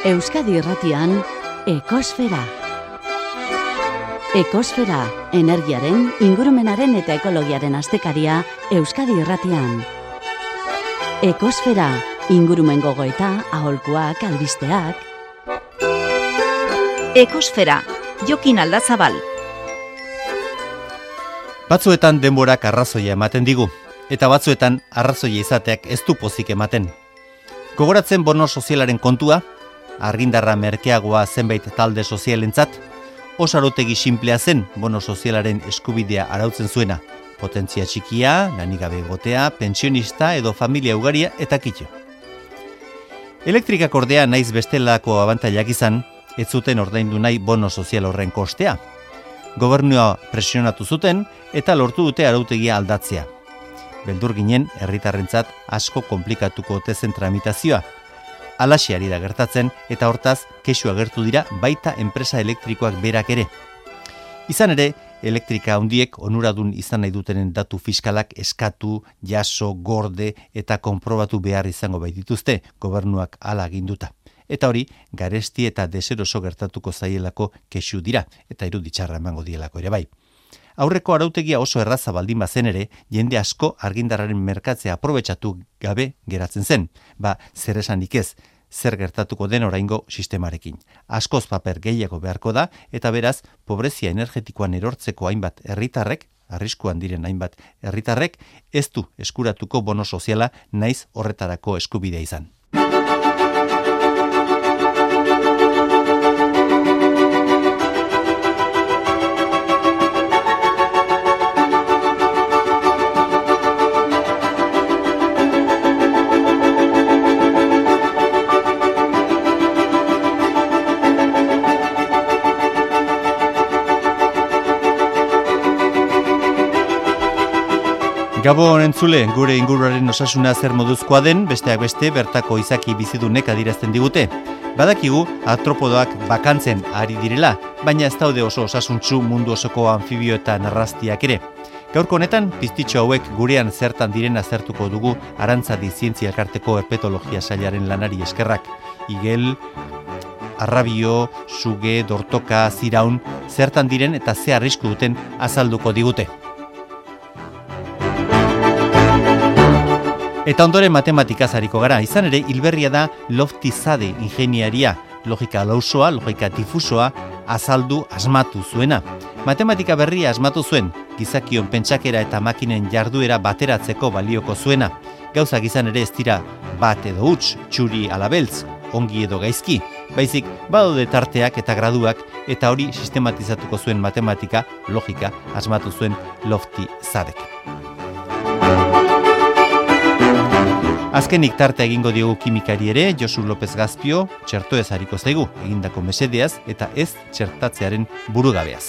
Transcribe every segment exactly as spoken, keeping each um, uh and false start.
Euskadi Irratian, Ekosfera. Ekosfera, energiaren, ingurumenaren eta ekologiaren astekaria Euskadi Irratian. Ekosfera, ingurumen gogoeta, aholkuak, albisteak. Ekosfera, Jokin Aldazabal. Batzuetan denborak arrazoia ematen digu, eta batzuetan arrazoia izateak ez du pozik ematen. Gogoratzen bono sozialaren kontua, argindarra merkeagoa zenbait talde sozialentzat, osarotegi sinplea zen bono sozialaren eskubidea arautzen zuena, potentzia txikia, lanigabe egotea, pensionista edo familia ugaria eta kitxo. Elektrikak ordea naiz bestelako abantailak izan, ez zuten ordaindu nahi bono sozial horren kostea. Gobernua presionatu zuten eta lortu dute arautegia aldatzea. Beldur ginen herritarrentzat asko komplikatuko tezen tramitazioa. Alaxe ari da gertatzen eta hortaz kexu agertu dira baita enpresa elektrikoak berak ere. Izan ere, elektrika handiek onuradun izan nahi dutenen datu fiskalak eskatu, jaso, gorde eta konprobatu behar izango baitituzte gobernuak hala aginduta. Eta hori, garesti eta deseroso gertatuko zaielako kexu dira eta iruditxarra emango dielako ere bai. Aurreko arautegia oso erraza baldin bazen ere, jende asko argindarraren merkatzea aprobetxatu gabe geratzen zen. Ba, zer esanik ez, zer gertatuko den oraingo sistemarekin. Askoz paper gehiago beharko da, eta beraz, pobrezia energetikoan erortzeko hainbat herritarrek, arriskuan diren hainbat herritarrek, ez du eskuratuko bono soziala naiz horretarako eskubidea izan. Gabon entzule, gure inguruaren osasuna zer moduzkoa den, besteak beste bertako izaki bizidunek adirazten digute. Badakigu artropodoak bakantzen ari direla, baina ez daude oso osasuntsu mundu osoko anfibio eta narrastiak ere. Gaurko honetan, piztitxo hauek gurean zertan diren azertuko dugu Arantzadi Zientzia Elkarteko herpetologia sailaren lanari eskerrak. Igel, arrabio, suge, dortoka, ziraun, zertan diren eta ze arrisku duten azalduko digute. Eta ondoren matematikaz hariko gara, izan ere hilberria da Loftizade ingeniaria, logika lausoa, logika difusoa, azaldu asmatu zuena. Matematika berria asmatu zuen, gizakion pentsakera eta makinen jarduera bateratzeko balioko zuena. Gauzak izan ere ez dira bat edo huts, txuri alabeltz, ongi edo gaizki, baizik badaude tarteak eta graduak eta hori sistematizatuko zuen matematika, logika, asmatu zuen Loftizadek. Azkenik tarte egingo diogu kimikari ere, Josu López Gazpio, txertoez hariko zaigu, egindako mesedeaz eta ez txertatzearen burugabeaz.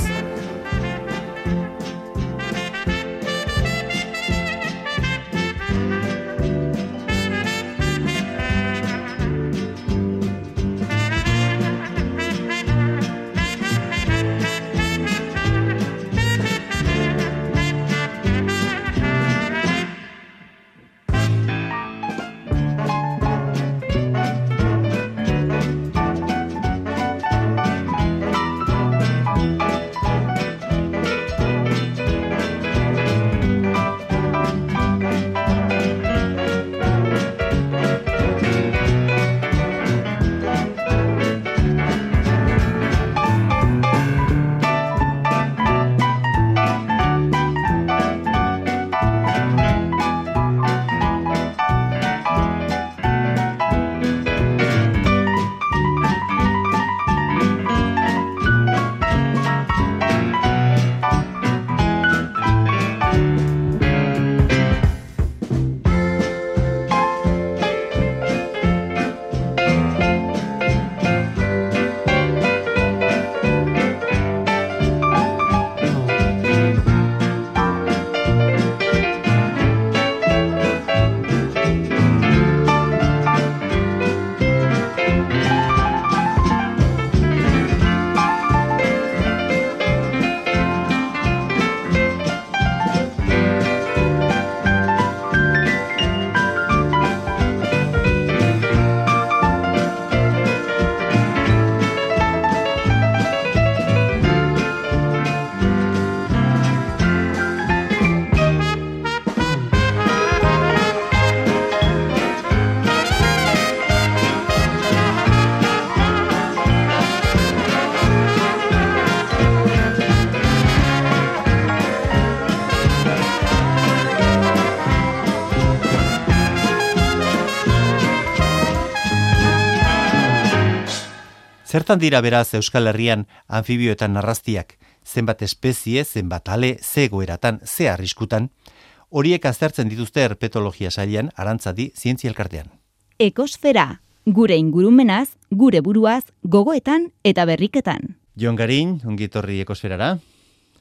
Zertan dira beraz Euskal Herrian anfibioetan narrastiak? Zenbat espezie, zenbat ale, ze egoeratan, ze arriskutan? Horiek aztertzen dituzte herpetologia sailean, Arantzadi zientzia elkartean. Ekosfera, gure ingurumenaz, gure buruaz, gogoetan eta berriketan. Jon Garin, ongi etorri Ekosferara.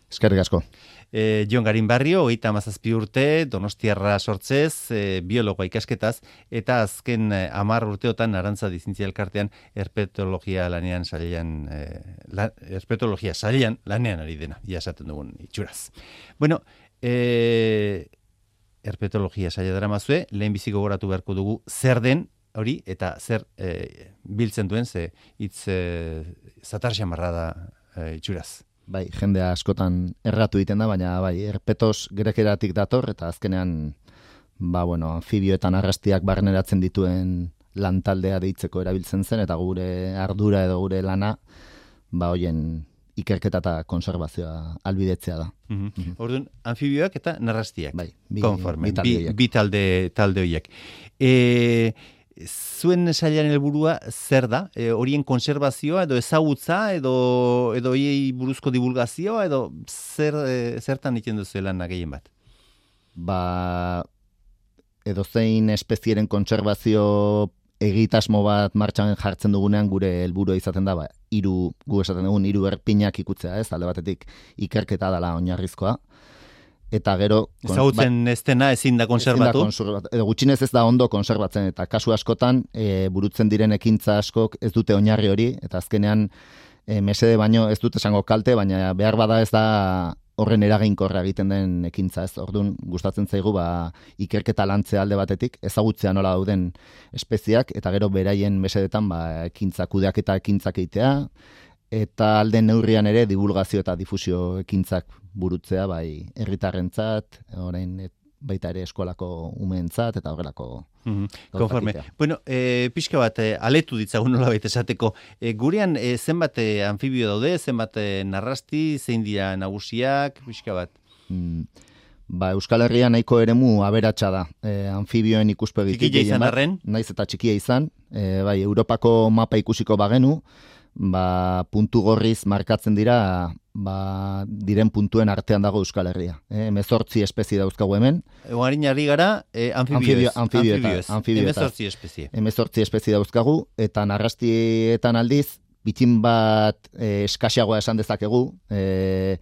Eskerrik asko. E, Jon Garin Barrio, hogeita hamazazpi urte, Donostiarra sortzez, e, biologoa ikasketaz, eta azken e, hamar urteotan Arantzadi zientzia elkartean herpetologia lanean sailean, e, la, herpetologia sailean lanean ari dena, ia esaten dugun itxuraz. Bueno, e, herpetologia saila daramazue, lehen bizi gogoratu beharko dugu zer den hori eta zer e, biltzen duen, ze hitz e, zatar xamarra da e, itxuraz. Bai, jendea askotan erratu egiten da, baina bai, herpetos grekeratik dator, eta azkenean, ba, bueno, anfibioetan arrastiak barneratzen dituen lantaldea deitzeko erabiltzen zen, eta gure ardura edo gure lana, ba, hoien ikerketa eta konservazioa albidetzea da. Mm-hmm. Mm-hmm. Orduan, anfibioak eta narrastiak. Bai, bi, konforme, bi talde bi, bi talde, talde horiek. E, zuen sailaren helburua zer da? E, horien konserbazioa edo ezagutza edo edo hiei buruzko divulgazioa edo zer e, zertan egiten duzu lan gehien bat? Ba, edozein espezieren kontserbazio egitasmo bat martxan jartzen dugunean gure helburua izaten da, ba, hiru, gu esaten dugun hiru erpinak ikutzea, ez? Alde batetik ikerketa dela oinarrizkoa. Eta gero... Ezagutzen ba, ez dena ezin da konserbatu? Edo gutxinez ez da ondo konserbatzen, eta kasu askotan e, burutzen diren ekintza askok ez dute oinarri hori, eta azkenean e, mesede baino ez dute esango kalte, baina behar bada ez da horren eraginkorra egiten den ekintza, ez? Orduan gustatzen zaigu ba, ikerketa lantzea alde batetik, ezagutzea nola dauden espeziak, eta gero beraien mesedetan ba, ekintza kudeak eta ekintzak eitea, eta alde neurrian ere divulgazio eta difusio ekintzak burutzea, bai, herritarrentzat, orain et, baita ere eskolako umeentzat, eta horrelako... Mm-hmm. Konforme. Bueno, e, pixka bat, e, aletu ditzagun nola baita esateko. E, gurean, e, zenbat e, anfibio daude, zenbat e, narrasti, zein dira nagusiak, pixka bat? Mm. Ba, Euskal Herria nahiko eremu aberatsa da. E, anfibioen ikuspegitik. Txikia izan arren? Naiz eta txikia izan. E, bai, Europako mapa ikusiko bagenu, ba, puntu gorriz markatzen dira, ba, diren puntuen artean dago Euskal Herria. E, Hemezortzi espezie dauzkagu hemen. Egoarin ari gara, e, anfibioez. Anfibioez. Hemezortzi espezie. Hemezortzi espezie dauzkagu, eta narrastietan aldiz, bitin bat e, eskasiagoa esan dezakegu, e,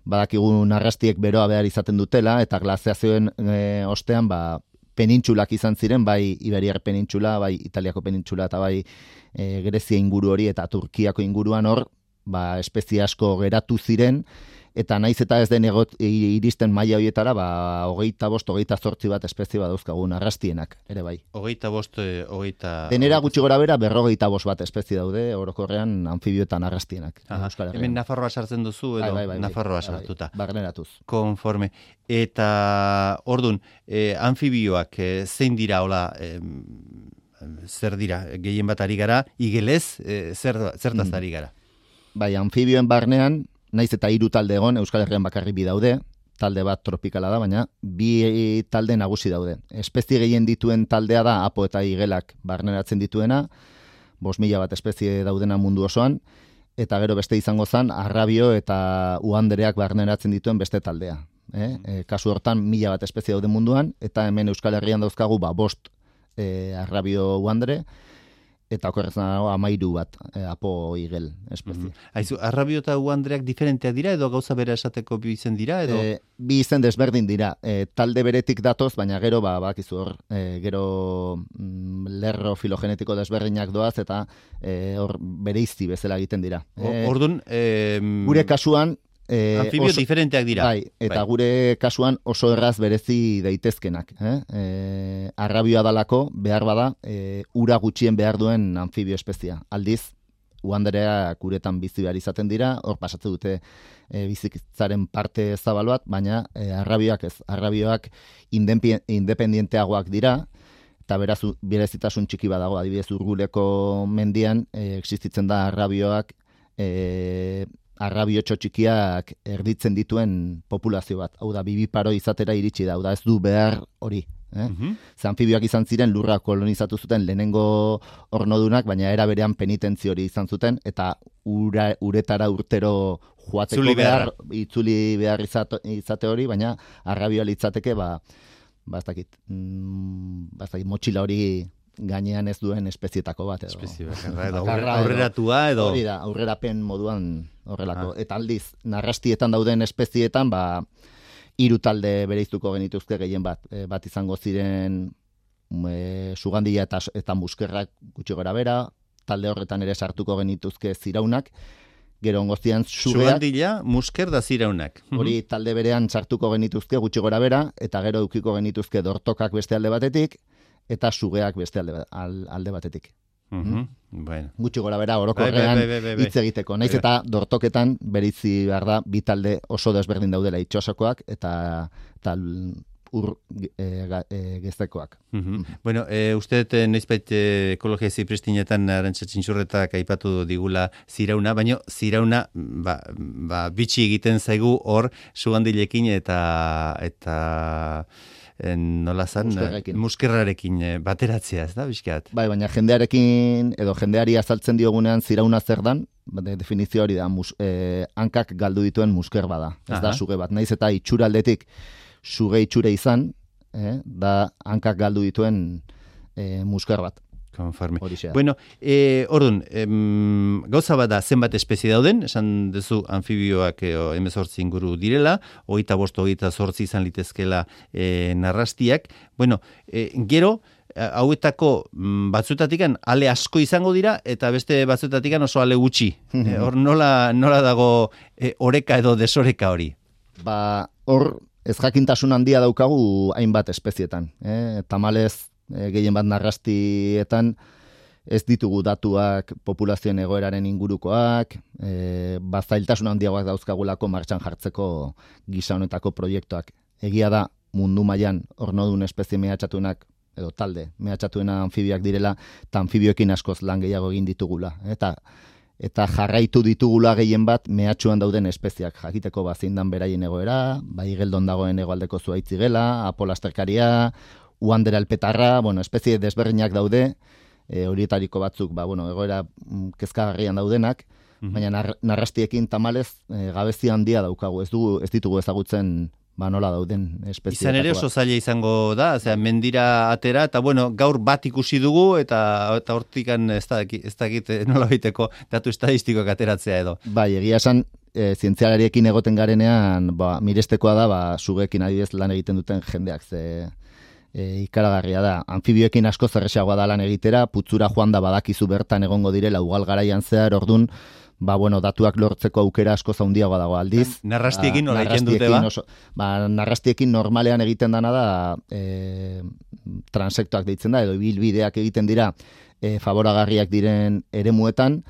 badakigu narrastiek beroa behar izaten dutela, eta glaziazioen e, ostean, ba, penintxulak izan ziren, bai Iberiar penintxula, bai Italiako penintxula, eta bai e, Grezia inguru hori, eta Turkiako inguruan hor, ba, espezie asko geratu ziren, eta naiz eta ez den egot, iristen maila horietara, ba, hogeita bost, hogeita zortzi bat espezie bat dauzkagu narrastienak, ere bai. Hogeita bost, hogeita... Denera gutxi gora bera, berrogeita bost bat espezie daude, orokorrean anfibioetan narrastienak. Hemen Nafarroa sartzen duzu, edo bai, bai, bai, Nafarroa bai, sartuta. Bai, barneratuz. Konforme. Eta, ordun, eh, anfibioak eh, zein dira, hola, eh, zer dira, gehien bat ari gara, igelez, eh, zer, zertaz Mm. ari gara? Bai, anfibioen barnean, naiz eta hiru talde egon, Euskal Herrian bakarrik bi daude, talde bat tropikala da, baina bi talde nagusi daude. Espezie gehien dituen taldea da apo eta igelak barneratzen dituena, bost mila bat espezie daudena mundu osoan, eta gero beste izango zen, arrabio eta uhandereak barneratzen dituen beste taldea. Eh? E, kasu hortan, mila bat espezie daude munduan, eta hemen Euskal Herrian dauzkagu ba, bost e, arrabio uhandere, eta okorretzen dago amairu bat, e, apo igel espezie. Mm-hmm. Aizu, arrabio eta uhandreak diferenteak dira, edo gauza bera esateko bi izen dira, edo? E, bi izen desberdin dira. E, talde beretik datoz, baina gero, ba, bakizu hor, e, gero mm, lerro filogenetiko desberdinak doaz, eta e, hor bereizti bezala egiten dira. E, Ordun, e, gure kasuan, E, anfibio oso, diferenteak dira. Bai, eta bai. Gure kasuan oso erraz berezi daitezkenak. Eh? E, arrabioa dalako, behar bada, e, ura gutxien behar duen anfibio espezia. Aldiz, uhanderea guretan bizi behar izaten dira, hor pasatzen dute e, bizitzaren parte zabal bat, baina e, arrabioak ez. Arrabioak independienteagoak dira, eta beraz, berezitasun txiki badago, adibidez Urguleko mendian, e, existitzen da arrabioak, e, arrabiotxo txikiak erditzen dituen populazio bat. Hau da, bibiparo izatera iritsi da. Hau da, ez du behar hori. Eh? Mhm. Ze anfibioak izan ziren lurra kolonizatu zuten lehenengo ornodunak, baina era berean penitentzi hori izan zuten, eta ura, uretara urtero joateko Itzuli behar. behar, itzuli behar izate, izate hori, baina arrabioa litzateke, ba, ba ez dakit, mm, ba ez dakit, motxila hori gainean ez duen espezietako bat. Edo. Espezie bakarra, edo Bakarra, aurreratua, edo... Hori da, aurrerapen moduan horrelako. Eta aldiz, narrastietan dauden espezietan, ba, hiru talde bereiztuko genituzke gehien bat. E, bat izango ziren e, sugandila eta, eta muskerrak gutxi gora bera, talde horretan ere sartuko genituzke ziraunak, gero ongozian sugeak, Sugandila, musker da ziraunak. hori talde berean sartuko genituzke gutxi gora bera, eta gero eukiko genituzke dortokak beste alde batetik, eta sugeak beste alde, al, alde batetik. Mhm. Bueno. Gutxi gora bera Bai, orokorrean bai, bai, bai, bai. hitz egiteko. Naiz eta dortoketan bereizi behar da bi talde oso desberdin daudela itxosokoak eta eta ur e, ga, e, geztekoak. Mhm. Bueno, e, uste dut noizbait e, ekologia zipristinetan Arantxa Txintxurretak aipatu digula zirauna, baina zirauna ba, ba, bitxi egiten zaigu hor sugandilekin eta eta en, nola zan, Muskerrekin. muskerrarekin e, bateratzea, ez da, bizkat? Bai, baina jendearekin edo jendeari azaltzen diogunean zirauna zer dan, de, definizio hori da, mus, e, hankak galdu dituen musker bada. Ez Aha. da suge bat. Naiz eta itxura aldetik suge itxure izan, eh, da hankak galdu dituen e, musker bat. Konforme. Horixe da. Bueno, e, orduan, em, gauza bada zenbat espezie dauden, esan duzu anfibioak e, emezortzi inguru direla, hogeita bost, hogeita zortzi izan litezkela e, narrastiak. Bueno, e, gero, hauetako mm, batzuetatikan ale asko izango dira, eta beste batzuetatikan oso ale gutxi. E, hor nola, nola dago e, oreka edo desoreka hori? Ba, hor ez jakintasun handia daukagu hainbat espezietan. Eh? Tamalez, e, gehien bat narrastietan ez ditugu datuak populazioen egoeraren ingurukoak, e, ba, zailtasun handiagoak dauzkagulako martxan jartzeko gisa honetako proiektuak. Egia da, mundu mailan ornodun espezie mehatxatuenak edo talde mehatxatuena anfibioak direla, eta anfibioekin askoz lan gehiago egin ditugula. Eta eta jarraitu ditugula gehien bat mehatxuan dauden espeziak. Jakiteko bazindan beraien egoera, bai geldon dagoen hegoaldeko zuaitzigela, apolasterkaria, uandera alpetarra, bueno, espezie desberdinak daude, e, horietariko batzuk, ba, bueno, egoera mm, kezkagarrian daudenak, Mhm. baina nar, narrastiekin tamalez e, gabezi handia daukagu, ez dugu ez ditugu ezagutzen ba nola dauden espezie. Izan ere oso zaila izango da, osea, mendira atera, eta bueno, gaur bat ikusi dugu, eta eta hortikan ez dakit, ez dakit nola baiteko datu estadistikoak ateratzea edo. Bai, egia esan, e, zientzialariekin egoten garenean, ba, mirestekoa da, ba, sugekin adibidez lan egiten duten jendeak, ze e, ikaragarria da. Anfibioekin asko zerrexagoa da lan egitera, putzura joan da badakizu bertan egongo direla ugal garaian zehar, ordun, ba, bueno, datuak lortzeko aukera asko zaundiagoa dago aldiz. Narrastiekin Ba, nola egiten dute, ba? oso- ba, narrastiekin normalean egiten dana da e, transektoak deitzen da, edo ibilbideak egiten dira e, favoragarriak diren eremuetan,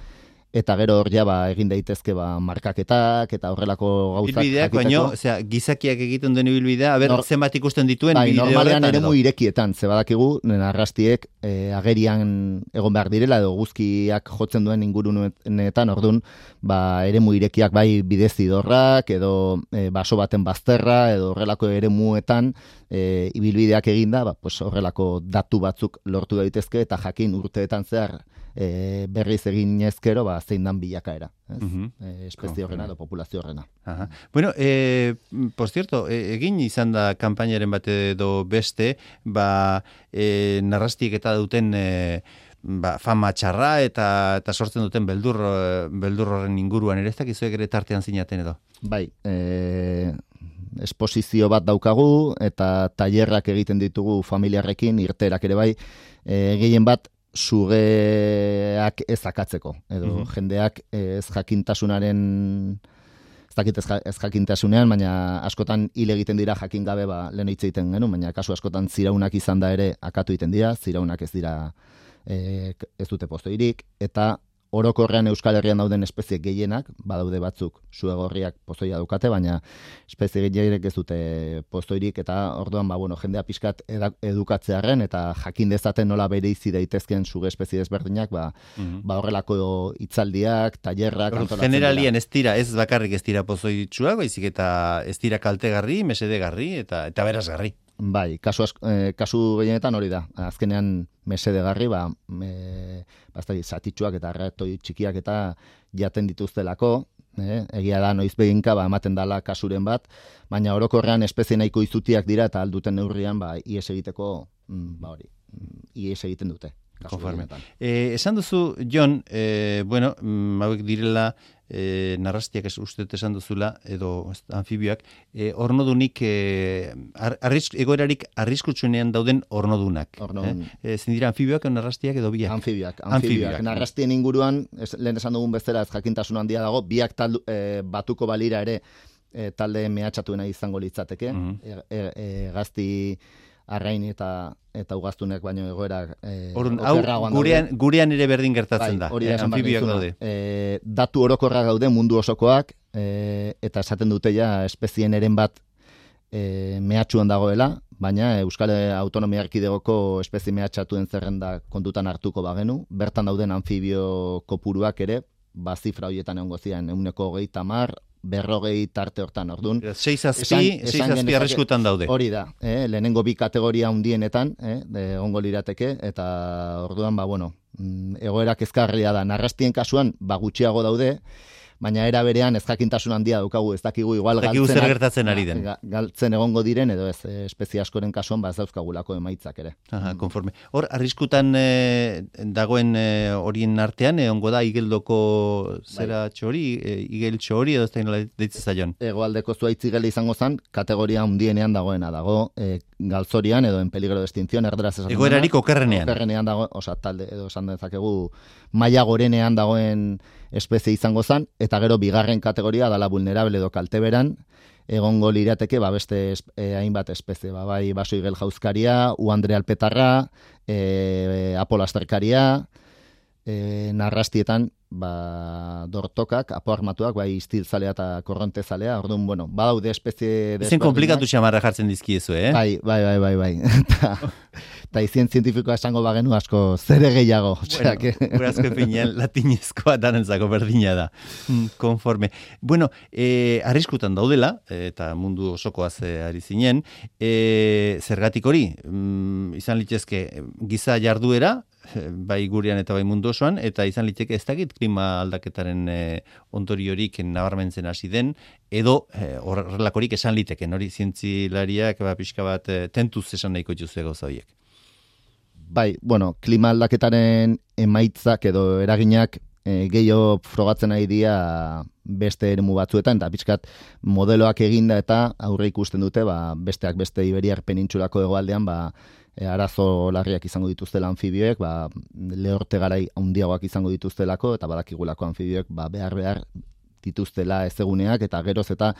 eta gero hor ja ba, egin daitezke ba, markaketak eta horrelako gauzak Ibilbideak, baino, osea, gizakiak egiten duen ibilbidea, aber, Nor- zenbat ikusten dituen Bai, bideo normalean horretan eremu edo? irekietan, ze badakigu, narrastiek e, agerian egon behar direla, edo guzkiak jotzen duen ingurunetan, ordun, ba, eremu irekiak bai bidezidorrak, edo e, baso baten bazterra, edo horrelako eremuetan e, ibilbideak eginda, ba, pues, horrelako datu batzuk lortu daitezke, eta jakin urteetan zehar e, berriz egin ezkero, ba, zein dan bilakaera, ez? Mhm. E, espezie horrena edo populazio horrena. Aha. Bueno, eh, por cierto, eh, egin izan da kanpainaren bat edo beste, ba, eh, narrastiek eta duten eh, ba, fama txarra eta eta sortzen duten beldur, eh, beldur horren inguruan ere ez dakizuek ere tartean zinaten edo. Bai, e, esposizio bat daukagu eta tailerrak egiten ditugu familiarrekin, irteerak ere bai, e, gehien bat sugeak ez akatzeko, edo Mhm. jendeak ez jakintasunaren ez dakit ez, ja- ez jakintasunean, baina askotan hil egiten dira jakin gabe ba, lehen hitz egiten genuen, baina kasu askotan ziraunak izan da ere akatu egiten dira, ziraunak ez dira e, ez dute pozoirik, eta orokorrean Euskal Herrian dauden espezie gehienak, badaude batzuk suegorriak pozoia daukate, baina espezie gehienek ez dute pozoirik, eta orduan, ba, bueno, jendea pixkat eda- edukatzearren, eta jakin dezaten nola bereizi daitezken suge espezie desberdinak, ba, Mhm. ba horrelako hitzaldiak, tailerrak Orduan, antolatzen generalian dira. ez dira, ez bakarrik ez dira pozoitsuak, baizik eta ez dira kaltegarri, mesedegarri eta eta berazgarri. Bai, kasu, asko, eh, kasu gehienetan hori da. Azkenean mesedegarri, ba, e, bastari zatitxuak eta ratoi txikiak eta jaten dituztelako, eh? Egia da noiz beginka ba, ematen dala kasuren bat, baina orokorrean espezie nahiko izutiak dira eta alduten neurrian ba, ies egiteko, ba hori, ies egiten dute. Konforme. Eh, esan duzu, Jon, eh, bueno, hauek direla eh, narrastiak ez uste esan duzula, edo anfibioak, eh, ornodunik, eh, arrisk, egoerarik arriskutsuenean dauden ornodunak. Ornodun. Eh? Ezin dira anfibioak edo narrastiak edo biak? Anfibioak. Anfibioak. Narrastien inguruan, ez, lehen esan dugun bezala ez jakintasun handia dago, biak taldu, eh, batuko balira ere eh, talde mehatxatuena izango litzateke. Mm -hmm. e, e, e, gazti arrain eta eta ugaztunek baino egoera eh, Orun, hau gurean, gurean ere berdin gertatzen bai, da, hori eh, anfibioak daude. Eh, datu orokorra gaude mundu osokoak, eh, eta esaten dute ja espezien eren bat eh, mehatxuan dagoela, baina Euskal Autonomia Erkidegoko espezie mehatxatuen zerrenda kontutan hartuko bagenu, bertan dauden anfibio kopuruak ere, ba zifra horietan egongo ziren, ehuneko hogeita hamar, berrogei tarte hortan, orduan. Seiz azpi, seiz azpi arriskutan daude. Hori da, eh, lehenengo bi kategoria handienetan, eh, egongo lirateke, eta orduan, ba, bueno, egoera kezkarria da. Narrastien kasuan, ba, gutxiago daude, baina era berean ez jakintasun handia daukagu, ez dakigu igual galtzen, zer gertatzen ari den. Galtzen egongo diren, edo ez, espezie askoren kasuan, ba, ez dauzkagulako emaitzak ere. Aha, konforme. Hor, arriskutan eh, dagoen horien eh, artean, egongo da igeldoko zera bai. txori, eh, igel txori, edo ez da deitzen zaion? Egoaldeko zuaitz igel izango zen, kategoria handienean dagoena dago, eh, galtzorian, edo en peligro de extinción, erderaz esan. Egoerarik okerrenean. Okerrenean dago, osa, talde, edo esan dezakegu, maila gorenean dagoen espezie izango zen, eta gero bigarren kategoria dala vulnerable edo kalteberan, egongo lirateke ba beste eh, hainbat espezie, ba bai baso igel jauzkaria, uandre alpetarra, eh, apolasterkaria, eh, narrastietan ba dortokak, apoarmatuak, bai istilzalea eta korrontezalea, orduan, bueno, badaude espezie... Ezen komplikatu xamarra jartzen dizkiezu, eh? Bai, bai, bai, bai, bai. Eta izien zientifikoa esango bagenu asko zere gehiago. Bueno, que... Gurazko finean latinezkoa danentzako berdina da. Konforme. Bueno, eh, arriskutan daudela, eta mundu osokoaz eh, ari zinen, eh, zergatik hori, mm, izan litzezke giza jarduera, bai gurean eta bai mundu osoan, eta izan litzeke ez dakit klima aldaketaren eh, ondoriorik nabarmentzen hasi den, edo eh, horrelakorik esan liteken, hori zientzilariak ba, pixka bat eh, tentuz esan nahiko juzu gauza horiek. Bai, bueno, klima aldaketaren emaitzak edo eraginak e, gehiago frogatzen ari dira beste eremu batzuetan, eta pixkat modeloak eginda eta aurre ikusten dute, ba, besteak beste Iberiar penintsulako hegoaldean, ba, e, arazo larriak izango dituztela anfibioek, ba, lehorte garai handiagoak izango dituztelako, eta badakigulako anfibioek ba, behar behar dituztela ezeguneak, eta geroz eta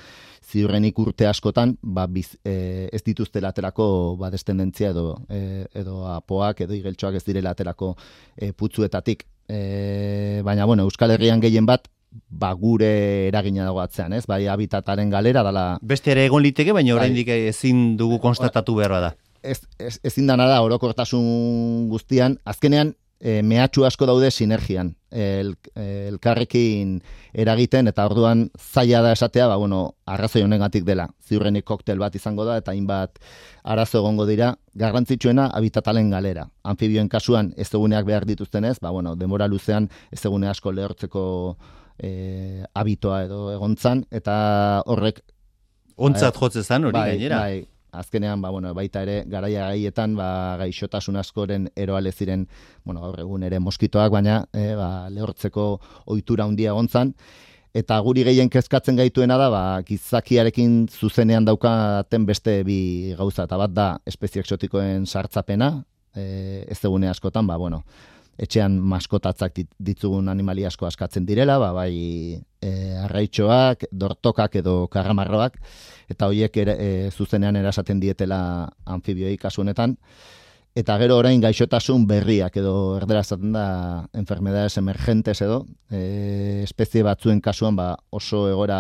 ziurrenik urte askotan ba, biz, e, ez dituztela aterako ba, destendentzia edo, e, edo apoak edo igeltxoak ez direla aterako e, putzuetatik. E, baina, bueno, Euskal Herrian gehien bat ba, gure eragina dago atzean, ez? Bai, habitataren galera dala... Beste ere egon liteke, baina oraindik bai, ezin dugu konstatatu behar bada. Ez, ez, ezin dana da orokortasun guztian, azkenean E, mehatxu asko daude sinergian, el, elkarrekin eragiten, eta orduan zaila da esatea, ba, bueno, arrazoi honengatik dela. Ziurrenik koktel bat izango da, eta hainbat arazo egongo dira, garrantzitsuena habitatalen galera. Anfibioen kasuan ez eguneak behar dituztenez, ba, bueno, denbora luzean ez egune asko lehortzeko e, habitoa edo egontzan, eta horrek... Ontzat jotze zan hori bai, gainera. Bai, azkenean, ba, bueno, baita ere, garaia gaietan, ba, gaixotasun askoren eroale ziren, bueno, gaur egun ere moskitoak, baina e, ba, lehortzeko ohitura handia egontzan, eta guri gehien kezkatzen gaituena da, ba, gizakiarekin zuzenean daukaten beste bi gauza, eta bat da espezie exotikoen sartzapena, e, ez egune askotan, ba, bueno, etxean maskotatzak ditzugun animali asko askatzen direla, ba, bai e, arraitxoak, dortokak edo karramarroak, eta horiek ere, e, zuzenean erasaten dietela anfibioi kasu honetan, eta gero orain gaixotasun berriak edo erdera esaten da enfermedades emergentes edo, e, espezie batzuen kasuan ba, oso egora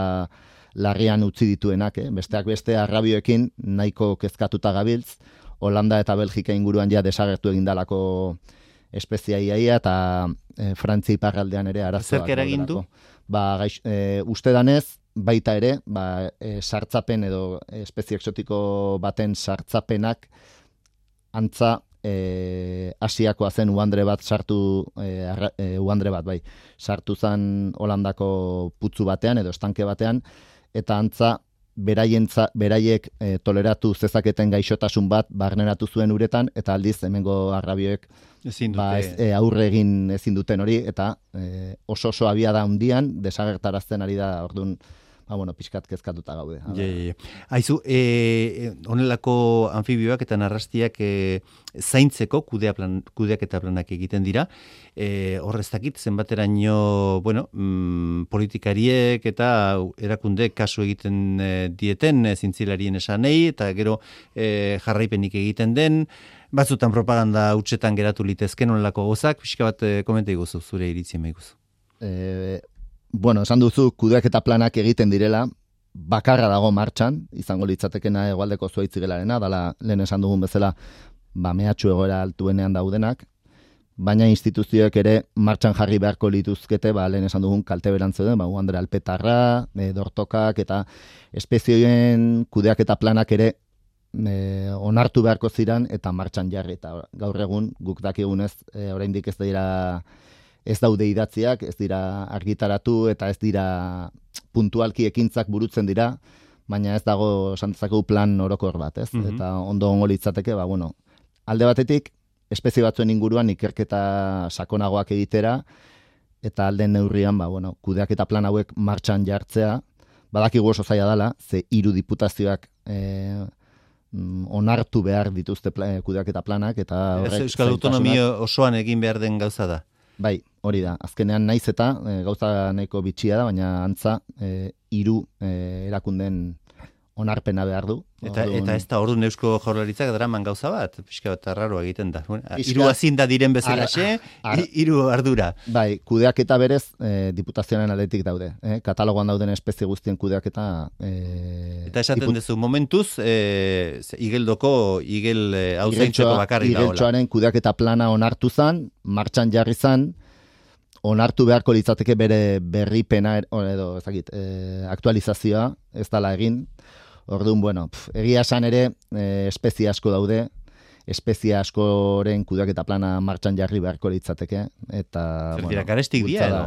larrian utzi dituenak, eh? Besteak beste arrabioekin nahiko kezkatuta gabiltz, Holanda eta Belgika inguruan ja desagertu egindalako espezia iaia, eta e, Frantzia iparraldean ere arazoak. Zerk eragin du? Ba, gaix, e, uste danez, baita ere, ba, e, sartzapen edo espezie exotiko baten sartzapenak antza e, Asiakoa zen uandre bat sartu, e, arra, e, uandre bat, bai, sartu zen Holandako putzu batean edo estanke batean, eta antza beraientza, beraiek e, toleratu zezaketen gaixotasun bat barneratu zuen uretan, eta aldiz hemengo arrabioek ba, ez, e, aurre egin ezin duten hori, eta e, oso oso abiada handian desagertarazten ari da, orduan, ba, bueno, pixkat kezkatuta gaude. Ja, ja, ja. Aizu, e, honelako anfibioak eta narrastiak e, zaintzeko kudea plan, kudeak eta planak egiten dira. E, hor ez dakit, zenbateraino, bueno, mm, politikariek eta erakunde kasu egiten e, dieten e, zintzilarien esanei, eta gero e, jarraipenik egiten den, batzutan propaganda hutsetan geratu litezken honelako gozak, pixka bat e, komenta iguzu, zure iritzien maiguzu. E, Bueno, esan duzu, kudeak eta planak egiten direla, bakarra dago martxan, izango litzatekena hegoaldeko zuaitzigelarena, dala lehen esan dugun bezala, ba, mehatxu egoera altuenean daudenak, baina instituzioek ere martxan jarri beharko lituzkete, ba, lehen esan dugun kalte berantzeuden, ba, uandre alpetarra, e, dortokak, eta espezioen kudeak eta planak ere e, onartu beharko ziran, eta martxan jarri, eta gaur egun, guk dakigunez, e, oraindik ez dira ez daude idatziak, ez dira argitaratu eta ez dira puntualki ekintzak burutzen dira, baina ez dago santzakeu plan orokor bat, ez? Mm-hmm. Eta ondo ongo litzateke, ba, bueno, alde batetik, espezie batzuen inguruan ikerketa sakonagoak egitera, eta alden neurrian, ba, bueno, kudeak eta plan hauek martxan jartzea, badakigu oso zaila dela, ze hiru diputazioak e, onartu behar dituzte pla, kudeak eta planak, eta horrek Euskal Autonomia osoan egin behar den gauza da. Bai, hori da. Azkenean naiz eta e, gauza nahiko bitxia da, baina antza e, hiru e, erakunden onarpena behar du. Eta, orduan, eta ez da orduan Eusko Jaurlaritzak draman gauza bat, pixka bat arraroa egiten da. Bueno, hiru azinda diren bezalaxe, hiru ardura. Bai, kudeaketa berez e, diputazioaren aldetik daude. Eh? Katalogoan dauden espezie guztien kudeaketa... E, eta esaten diput... duzu, momentuz, e, igeldoko, igel hau e, zaintzeko bakarri da. Igeltxoaren kudeaketa plana onartu zan, martxan jarri zan, onartu beharko litzateke bere berripena edo ezagit, e, aktualizazioa ez dala egin. Orduan, bueno, pf, egia esan ere e, espezie asko daude, espezie askoren kudeaketa plana martxan jarri beharko litzateke, eta... Zer bueno, dira, karestik dira, edo?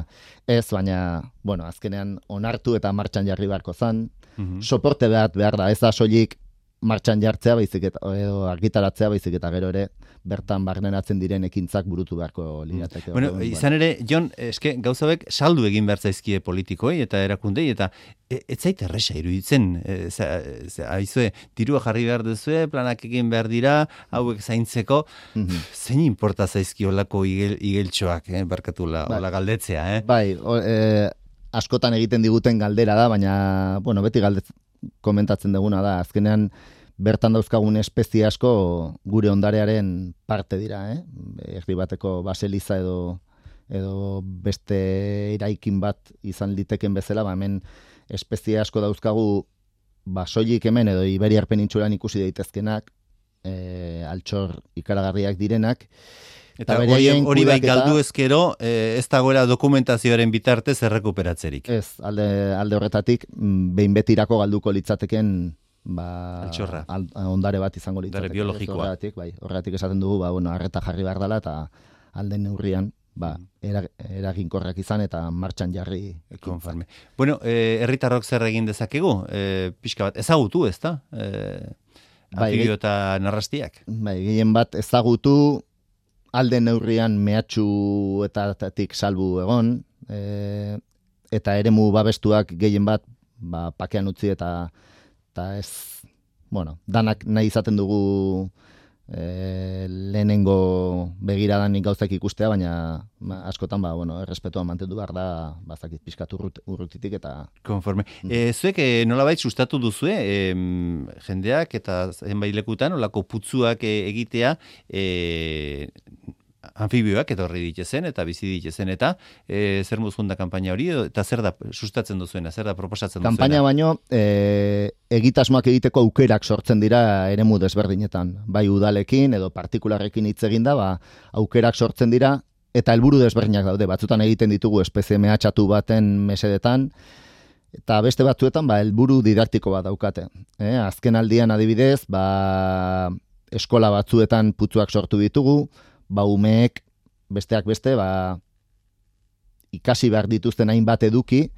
Ez, baina, bueno, azkenean onartu eta martxan jarri beharko zan, mm-hmm. soporte behar, behar da, ez da soilik martxan jartzea baizik eta edo argitaratzea baizik eta gero ere bertan barneratzen diren ekintzak burutu beharko lirateke. Bueno, orduan, izan ere, Jon, eske gauza hauek saldu egin behar zaizkie politikoei eta erakundei, eta e, ez zait erresa iruditzen, e, aizue, dirua jarri behar duzue, planak egin behar dira, hauek zaintzeko, mm-hmm. zein inporta zaizki olako igel, igeltxoak, eh, barkatu la, bai. Ola galdetzea, eh? Bai, o, e, askotan egiten diguten galdera da, baina, bueno, beti galdetz komentatzen duguna da, azkenean, bertan dauzkagun espezie asko gure ondarearen parte dira, eh? Erdi bateko baseliza edo edo beste eraikin bat izan liteken bezala, ba hemen espezie asko dauzkagu ba soilik hemen edo Iberiar penintsulan ikusi daitezkenak, eh altxor ikaragarriak direnak. Eta hori, hori bai galdu ezkero, eh, ez dagoela dokumentazioaren bitartez errekuperatzerik. Ez, alde, alde horretatik, behin betirako galduko litzateken ba, al, ondare bat izango litzateke. Ondare biologikoa. Horregatik, bai, horregatik esaten dugu, ba, bueno, arreta jarri behar dela, eta alden neurrian, ba, eraginkorrak izan eta martxan jarri. Konforme. Bueno, eh, herritarrok zer egin dezakegu? Eh, pixka bat, ezagutu, ez da? Eh, anfibio eta narrastiak. Bai, gehien bat ezagutu, alden neurrian mehatxu eta tatik salbu egon, e, eta eremu babestuak gehien bat ba, pakean utzi eta eta ez, bueno, danak nahi izaten dugu e, lehenengo begiradanik gauzak ikustea, baina ba, askotan, ba, bueno, errespetua mantendu behar da, bazakit pixkat urrut, urrutitik eta... Konforme. Mm. E, zuek e, nolabait sustatu duzue, e, jendeak eta zenbait lekutan, olako putzuak e, egitea, e, anfibioak etorri ditezen eta bizi ditezen eta e, zer muzgun da kanpaina hori eta zer da sustatzen duzuena, zer da proposatzen duzuena? Kanpaina baino e, egitasmoak egiteko aukerak sortzen dira eremu desberdinetan. Bai udalekin edo partikularrekin hitz eginda, ba, aukerak sortzen dira eta helburu desberdinak daude. Batzutan egiten ditugu espezie mehatxatu baten mesedetan, Eta beste batzuetan, ba, helburu didaktiko bat daukate. Eh? Azken aldian adibidez, ba, eskola batzuetan putzuak sortu ditugu, ba, umeek besteak beste, ba, ikasi behar dituzten hainbat eduki,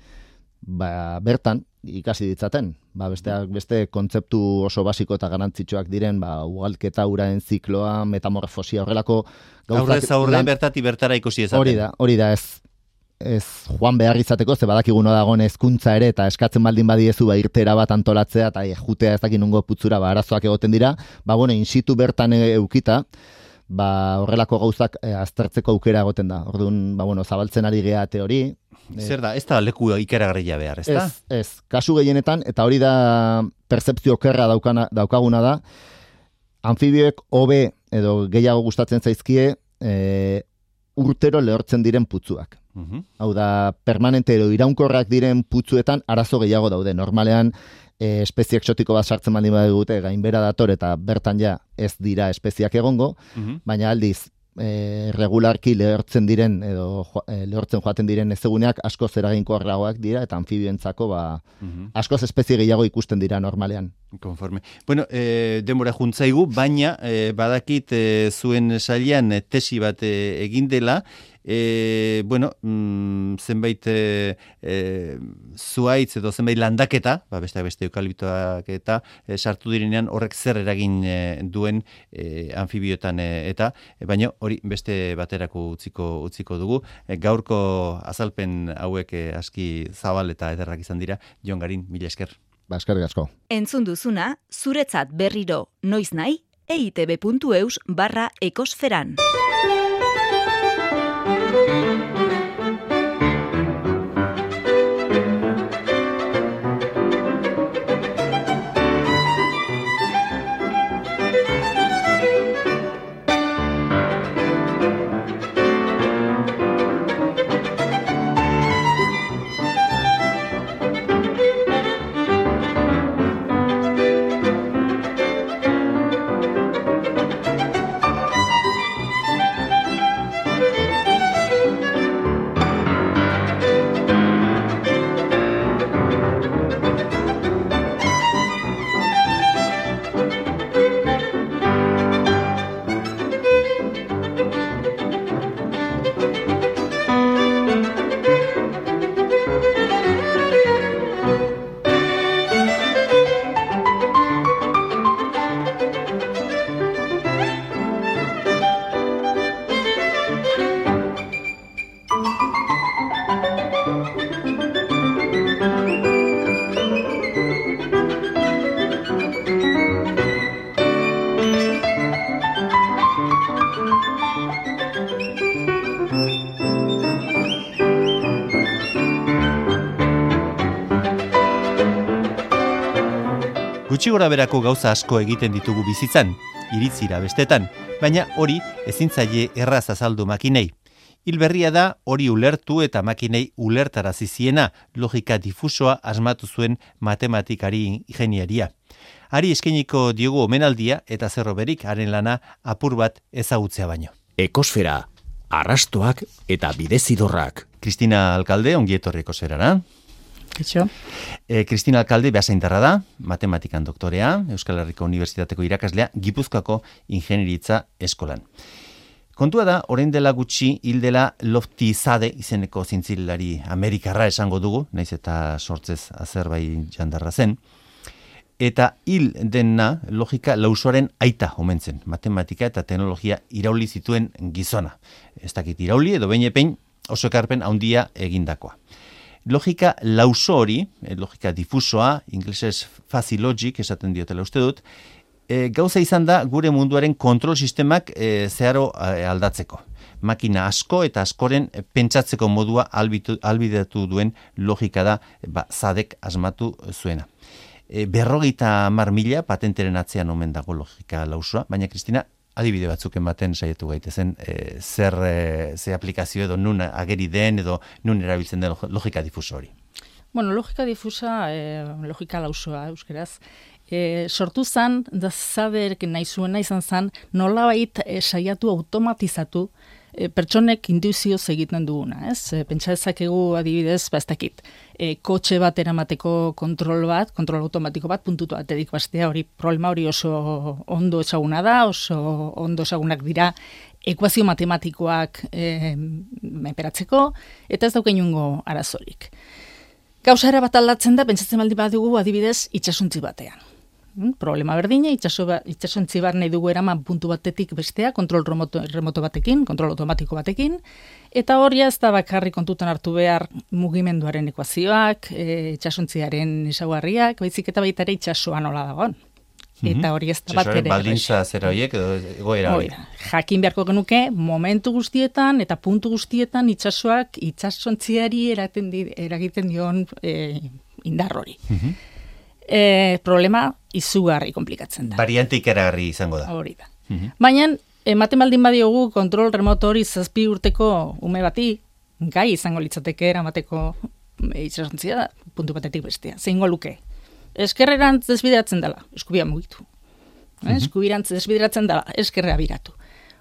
ba, bertan ikasi ditzaten. Ba, besteak beste kontzeptu oso basiko eta garantzitsuak diren, ba, ugalketa, uraen zikloa, metamorfosia, horrelako gauzak. Aurrez aurre bertati bertara ikusi ezaten. Hori da, hori da, ez ez joan behar izateko, ze badakiguno dagoen hezkuntza ere, eta eskatzen baldin badiezu, ba, irtera bat antolatzea, eta jutea ez dakin nungo putzura, ba, arazoak egoten dira, ba, bueno, in situ bertan eukita, ba, horrelako gauzak e, aztertzeko aukera egoten da. Orduan, ba, bueno, zabaltzen ari gea teori. Zer da, ez da leku ikaragarria behar, ez da? Ez, ez, kasu gehienetan, eta hori da pertzepzio okerra daukana, daukaguna da, anfibioek hobe edo gehiago gustatzen zaizkie, e, urtero lehortzen diren putzuak. Uhum. Hau da, permanente edo iraunkorrak diren putzuetan arazo gehiago daude. Normalean, e, espezie exotiko bat sartzen baldin badute, gainbera dator eta bertan ja ez dira espeziak egongo, uhum. Baina aldiz, e, regularki lehortzen diren edo e, lehortzen joaten diren ezeguneak askoz eraginkorragoak dira eta anfibioentzako ba, uhum. Askoz espezie gehiago ikusten dira normalean. Konforme. Bueno, e, denbora juntzaigu, baina e, badakit e, zuen sailean e, tesi bat e, egin dela, E, bueno, mm, zenbait e, e, zuaitz edo zenbait landaketa, ba, beste beste eukaliptoak eta e, sartu direnean horrek zer eragin e, duen e, anfibioetan e, eta, e, baina hori beste baterako utziko utziko dugu. E, gaurko azalpen hauek e, aski zabal eta ederrak izan dira. Jon Garin, mila esker. Ba, eskerrik asko. Entzun duzuna, zuretzat berriro noiz nahi, eitb puntu eus barra ekosferan. Gutxi gora berako gauza asko egiten ditugu bizitzan, iritzira bestetan, baina hori ezin zaie erraz azaldu makinei. Hil berria da hori ulertu eta makinei ulertarazi ziena, logika difusoa asmatu zuen matematikari ingeniaria. Hari eskainiko diogu omenaldia eta zerroberik haren lana apur bat ezagutzea baino. Ekosfera, arrastoak eta bidezidorrak. Kristina Alkalde, ongi etorri ekosferara. Kitxo. E, Kristina Alkalde beasaintarra da, matematikan doktorea, Euskal Herriko Unibertsitateko irakaslea, Gipuzkoako ingenieritza eskolan. Kontua da, orain dela gutxi hil dela Lofty Sade izeneko zintzilari Amerikarra esango dugu, naiz eta sortzez Azerbaijan jandarra zen, eta hil dena logika lausoaren aita omen zen, matematika eta teknologia irauli zituen gizona. Ez dakit irauli edo behin epein oso ekarpen handia egindakoa. Logika lauso hori, logika difusoa, inglesez fuzzy logic esaten diotela uste dut, e, gauza izan da gure munduaren kontrol sistemak e, zeharo e, aldatzeko. Makina asko eta askoren pentsatzeko modua albitu, albidatu duen logika da ba, Sadek asmatu zuena. E, berrogeita hamar mila patenteren atzean omen dago logika lausoa, baina Kristina, adibide batzuk ematen saiatu gaitezen, e, zer e, ze aplikazio edo nun ageri den edo nun erabiltzen den logika difuso hori. Bueno, logika difusa, e, logika lausoa euskeraz, e, sortu zan, da Sadek nahi zuena izan zan, nolabait e, saiatu automatizatu e, pertsonek intuizioz egiten duguna, ez? E, pentsa dezakegu adibidez, ba ez dakit, e, kotxe bat eramateko kontrol bat, kontrol automatiko bat, puntutu baterik bastea, hori problema hori oso ondo ezaguna da, oso ondo ezagunak dira ekuazio matematikoak e, menperatzeko, eta ez dauka inongo arazorik. Gauza era bat aldatzen da, pentsatzen baldin badugu adibidez itsasontzi batean. Problema berdina, itsasontzi bat nahi dugu eraman puntu batetik bestea, kontrol remoto, remoto batekin, kontrol automatiko batekin, eta hori ez da bakarri kontutan hartu behar mugimenduaren ekuazioak, e, itsasontziaren ezaugarriak, baizik eta baita ere itsasoa nola dagoen. Eta hori ez da bat ere. Baldintza zera horiek edo egoera hori. Jakin beharko genuke, momentu guztietan eta puntu guztietan itsasoak itsasontziari eragiten dion e, indar hori. E, problema izugarri komplikatzen da. Variante ikaragarri izango da. Hori da. Baina, ematen baldin badiogu kontrol remoto hori zazpi urteko ume bati, gai izango litzateke eramateko itsasontzia puntu batetik bestea. Zeingo luke? Eskerrerantz desbideratzen dela, eskubia mugitu. Eh? Eskubirantz desbideratzen dela, eskerrea biratu.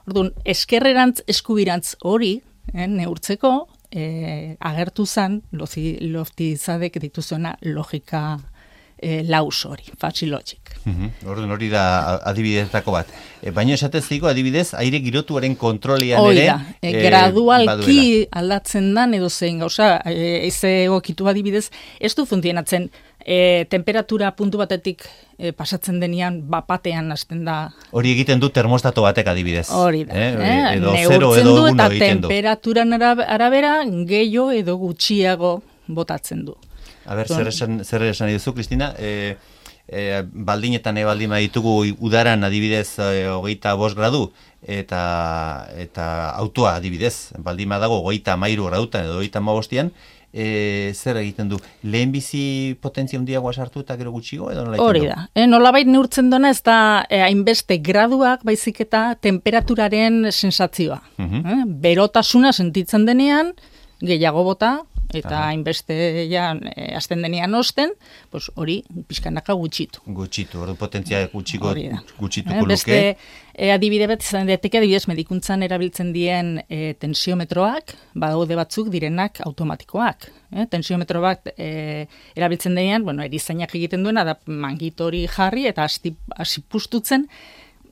Orduan, eskerrerantz eskubirantz hori, eh, neurtzeko, eh, agertu zen, loftizadek dituzuena logika E, laus hori, fuzzy logic. Uh-huh. Orduan hori da adibidetako bat. E, baina esatez zigo adibidez, aire girotuaren kontrolian ere... Oida, e, e, gradualki aldatzen dan edo zein gauza, e, eze egokitu adibidez, ez du funtzionatzen e, temperatura puntu batetik e, pasatzen denean bapatean hasten da... Hori egiten du termostato batek adibidez. Hori da. Eh? Eh? Edo zero edo uno egiten du. Eta temperaturan arabera gehiago edo gutxiago botatzen du. A ber, zer esan, zer esan duzu, Kristina? E, e, baldinetan ebaldin baditugu udaran adibidez e, hogeita bost gradu, eta, eta autoa adibidez, baldin badago hogeita hamairu gradutan edo hogeita hamabostian, e, zer egiten du? Lehenbizi potentzia handiagoa sartu eta gero gutxigo edo nola egiten du? Hori da. E, nolabait neurtzen dona ez da e, hainbeste graduak baizik eta temperaturaren sensazioa. Uh-huh. e, berotasuna sentitzen denean, gehiago bota, eta hainbeste ja e, azten denean osten, pues hori pixkanaka gutxitu. Gutxitu, hori potentzia gutxiko gutxituko eh, luke. Beste e, adibide bat izan daiteke, adibidez medikuntzan erabiltzen dien e, tensiometroak, badaude batzuk direnak automatikoak. Eh? Tensiometro bat e, erabiltzen denean, bueno, erizainak egiten duena, da mangitori jarri eta hasi pustutzen,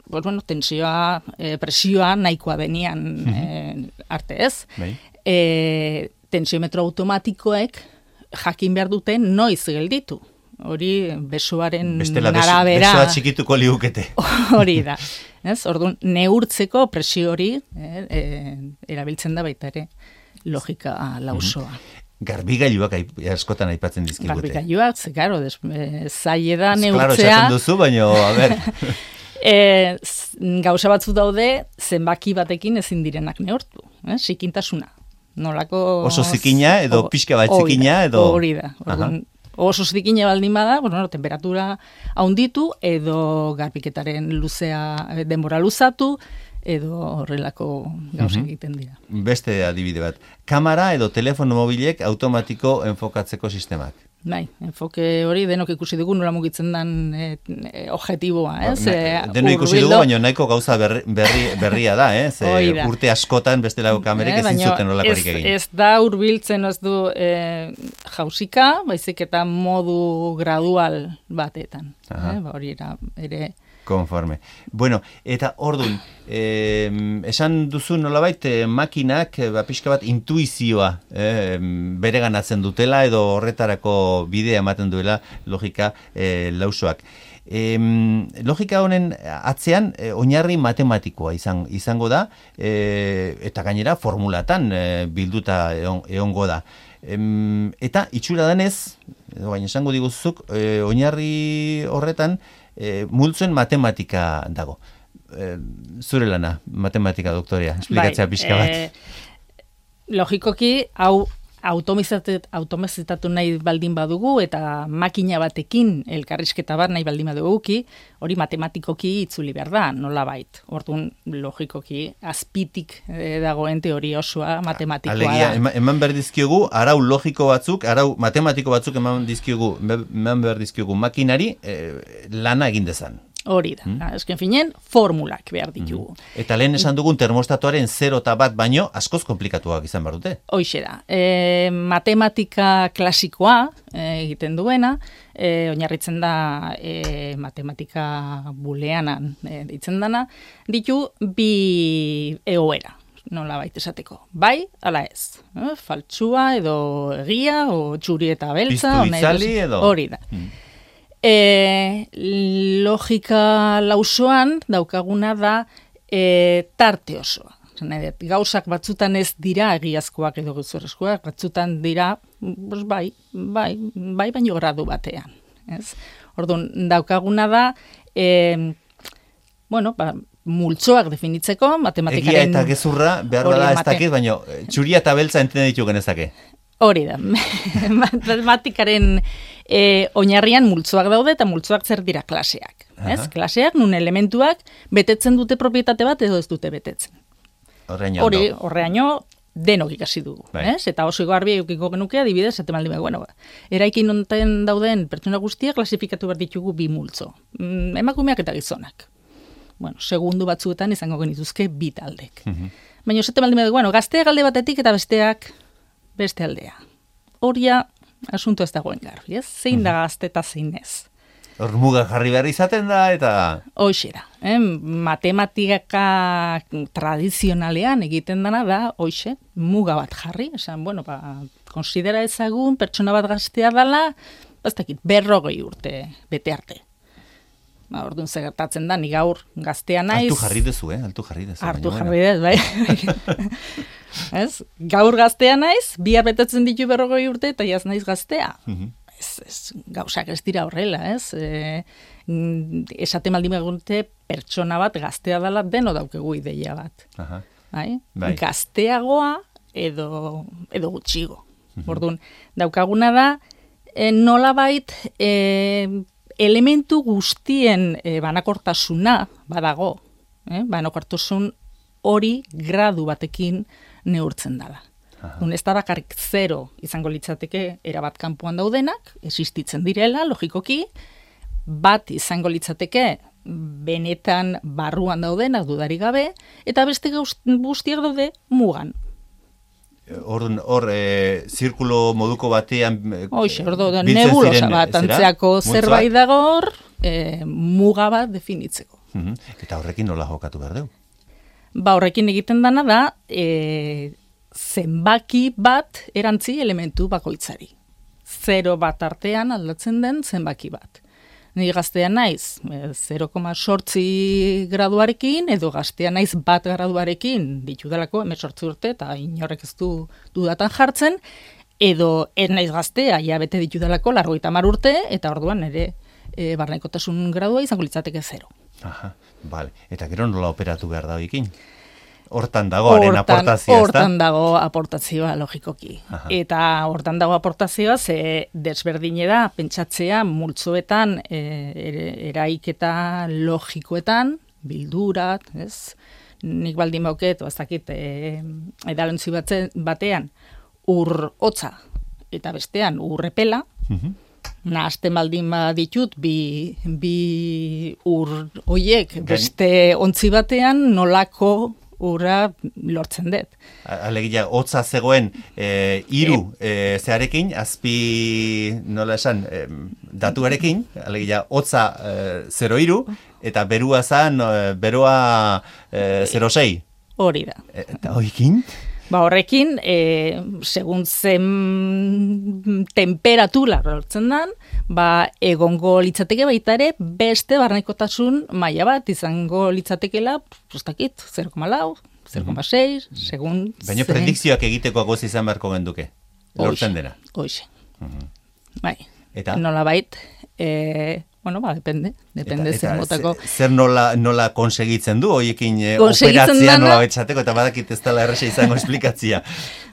pues, bueno, tensioa, e, presioa nahikoa denean e, arte ez. Bai. E, tensiometro automatikoek jakin behar duten noiz gelditu. Hori besoaren Bestela, arabera... Besoa txikituko liukete. Hori da. Ez? Orduan, neurtzeko presio hori eh, eh, erabiltzen da baita ere logika lausoa. Mm-hmm. Garbigailuak askotan aipatzen dizkigute. Garbigailuak, ze, karo, e, zaie da neurtzea... Claro, esaten duzu, baina, a ber... e, gauza batzu daude, zenbaki batekin ezin direnak neurtu. Eh? Sikintasuna. Nolako... Oso zikina edo pixka bat zikina edo... Hori da. Oso zikina baldin bada, bueno, temperatura haunditu edo garbiketaren luzea denbora luzatu edo horrelako gauza egiten dira. Beste adibide bat. Kamera edo telefono mobilek automatiko enfokatzeko sistemak. Bai, enfoke hori denok ikusi dugu nola mugitzen den e, e, objektiboa, ez? Ba, Deno ikusi dugu, baina nahiko gauza berri, berri, berria da, ez? E, urte askotan bestelako kamerek ezin zuten nolakorik egin. Ez da hurbiltzen ez du e, jausika, baizik eta modu gradual batetan. Eh? Ba, hori era, ere... Konforme. Bueno, eta ordun, eh, esan duzu nolabait eh, makinak ba, pixka bat intuizioa eh, bereganatzen dutela edo horretarako bidea ematen duela logika eh, lausoak. E, logika honen atzean e, oinarri matematikoa izan, izango da e, eta gainera formulatan e, bilduta egon, egongo da. E, eta itxura denez, baina esango diguzuk, e, oinarri horretan e, multzoen matematika dago. E, zure lana, matematika doktorea, esplikatzea bai, pixka bat. E, logikoki, hau automazitatu nahi baldin badugu eta makina batekin elkarrizketa bat nahi baldin baduguki, hori matematikoki itzuli behar da, nolabait. Orduan, logikoki, azpitik eh, dagoen teoria osoa matematikoa Alegia, da. Eman, eman behar dizkiogu, arau logiko batzuk, arau matematiko batzuk eman dizkiogu, eman behar dizkiogu makinari eh, lana egin dezan. Hori da, mm. esken finen, formulak behar ditugu. Mm. Eta lehen esan dugun termostatoaren zero eta bat baino askoz komplikatuak izan behar dute. Hoixe da, e, matematika klasikoa e, egiten duena, e, oinarritzen da e, matematika buleanan e, ditzen dana, ditu bi egoera, nola baita esateko. Bai, ala ez, e, faltsua edo egia, o txuri eta beltza. Piztu itzali edo. Hori da. Mm. E, logika lausoan daukaguna da e, tarte osoa. Gauzak batzutan ez dira egiazkoak edo gezurrezkoak, batzutan dira pues bai, bai, bai baino gradu batean. Ez? Orduan, daukaguna da e, bueno, ba, multzoak definitzeko, matematikaren... Egia eta gezurra, behar da ez dakit, baino txuria eta beltza entene ditu genezake. Hori da, matematikaren e, oinarrian multzoak daude eta multzoak zer dira klaseak. Ez? Klaseak nun elementuak betetzen dute propietate bat edo ez dute betetzen. Horreaino. Hori, horreaino denok ikasi dugu. Ez? Eta oso garbi eukiko genuke adibidez, eta maldi bueno, eraikin onten dauden pertsona guztiak klasifikatu behar ditugu bi multzo. Mm, emakumeak eta gizonak. Bueno, segundu batzuetan izango genituzke bi taldek. Mm-hmm. Baina esate maldi bueno, gazteak alde batetik eta besteak beste aldea. Horia, asunto ez dagoen garbi, ez? Zein da gazte eta zein ez. Hor muga jarri behar izaten da, eta... Hoxe da. Eh? Matematika tradizionalean egiten dana da, hoxe, muga bat jarri. Esan, bueno, ba, konsidera ezagun, pertsona bat gaztea dela, baztakit, berrogei urte bete arte. Ba, orduan segertatzen da, ni gaur gaztea naiz... Altu jarri dezu, eh? Altu jarri dezu. Altu jarri dezu, bai. Ez? Gaur gaztea naiz, bihar betetzen ditu berrogei urte, eta jaz naiz gaztea. Mm-hmm. Ez, ez, gauzak ez dira horrela, ez? E, esate maldi megurte, pertsona bat gaztea dela deno daukegu ideia bat. Aha. Bai? Bai. Gazteagoa edo, edo gutxigo. Mm-hmm. Orduan, daukaguna da, e, nolabait e, elementu guztien e, banakortasuna badago. Eh? Banakortasun hori gradu batekin neurtzen dela. Un ez da bakarrik zero izango litzateke erabat kanpoan daudenak, existitzen direla, logikoki, bat izango litzateke benetan barruan daudenak dudari gabe, eta beste guztiak daude mugan. Hor, hor e, zirkulo moduko batean... Hoxe, hor da, nebulosa bat, antzeako zerbait dago hor, e, muga bat definitzeko. Uh-huh. Eta horrekin nola jokatu behar dugu? Ba, horrekin egiten dana da, e, zenbaki bat erantzi elementu bakoitzari. Zero bat artean aldatzen den zenbaki bat. Ni gaztea naiz zero koma zortzi graduarekin, edo gaztea naiz bat graduarekin ditudalako hemezortzi urte, eta inorrek ez du dudatan jartzen, edo ez naiz gaztea, ja bete ditudalako largoita hamar urte, eta orduan ere e, barnekotasun gradua izango litzateke zero. Aha, bale. Eta gero nola operatu behar da hoikin? Hortan dago, haren aportazioa, ez da? Hortan dago aportazioa, logikoki. Aha. Eta hortan dago aportazioa, ze desberdine da, pentsatzea, multzoetan, e, eraiketa logikoetan, bildurat, ez? Nik baldin bauket, ez dakit, e, edalontzi batean, ur hotza, eta bestean urrepela, uh-huh. Nahazten baldin ditut, bi, bi ur hoiek, beste ontzi batean, nolako urra lortzen dut. Alegia, hotza zegoen e, iru e, zearekin, azpi, nola esan, e, datuarekin, alegia, hotza e, zero iru, eta berua zan, e, beroa e, zero sei. Hori da. E, eta hoikin? Ba horrekin, e, segun zen temperatura lortzen dan, ba egongo litzateke baita ere beste barnekotasun maila bat izango litzatekela, postakit, zero koma lau, zero koma sei, mm-hmm. segun... Baina predikzioak egiteko agoz izan beharko genduke, lortzen dena. Hoxe, mm-hmm. bai. Eta? Nola bait, e, bueno, ba, depende, depende eta, zen motako. Zer nola, nola konsegitzen du, hoiekin e, operatzea nola betxateko, eta badakit ez dela erresa izango esplikatzia.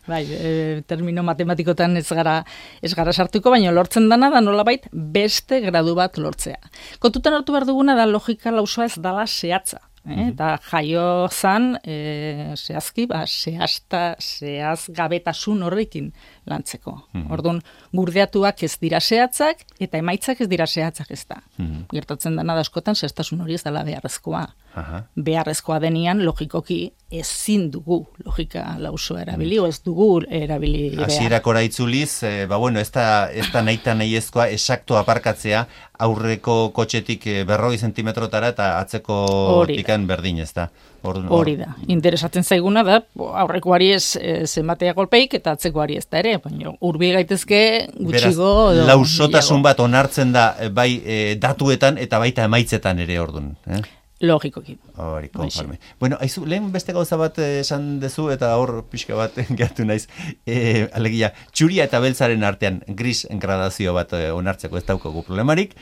Bai, e, termino matematikotan ez gara, ez gara sartuko, baina lortzen dana da nola bait beste gradu bat lortzea. Kontutan hartu behar duguna da logika lausoa ez dala zehatza. Eh? Eta jaio zan, e, zehazki, ba, zehazta, zehaz gabetasun horrekin lantzeko. Mm -hmm. Orduan, gurdeatuak ez dira zehatzak, eta emaitzak ez dira zehatzak ez da. Mm -hmm. Gertatzen dena da askotan, zehaztasun hori ez dela beharrezkoa. Aha. Beharrezkoa denian, logikoki ezin dugu logika lausoa erabili, mm. o ez dugu erabili behar. Hasierakora itzuliz, e, ba bueno, ez da, ez da nahi nahiezkoa esakto aparkatzea, aurreko kotxetik berrogei zentimetrotara eta atzeko tikan berdin, ez da. Hori da. Interesatzen zaiguna da, aurrekoari ez zenbatea golpeik eta atzekoari ez da ere, baina urbi gaitezke gutxigo. Beraz, lausotasun bat onartzen da bai e, datuetan eta baita emaitzetan ere ordun. Eh? Logikoki. Hori, konforme. Bueno, aizu, lehen beste gauza bat esan dezu eta hor pixka bat gertu naiz. E, alegia, txuria eta beltzaren artean gris gradazio bat onartzeko ez daukagu problemarik,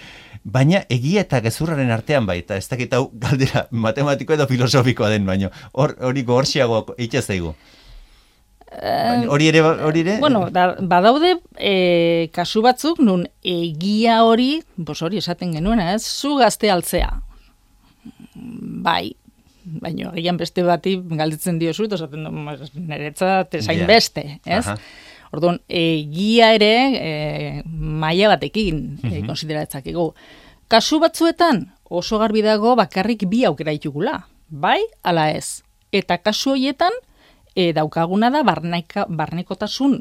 baina egia eta gezurraren artean bai, eta ez dakit hau galdera matematiko edo filosofikoa den, baina hori gogorxiago eitxe zaigu. Hori ere, hori ere? Bueno, da, badaude e, kasu batzuk, nun egia hori, bos hori esaten genuena, ez, zu gazte altzea. Bai, baina egian beste bati galdetzen diozu, eta esaten du, niretzat esain yeah. beste, ez? Aha. Orduan, egia ere, e, maila batekin mm-hmm. e, konsideratzak ego. Kasu batzuetan, oso garbi dago bakarrik bi aukera ditugula, bai, ala ez. Eta kasu horietan, e, daukaguna da barneka, barnekotasun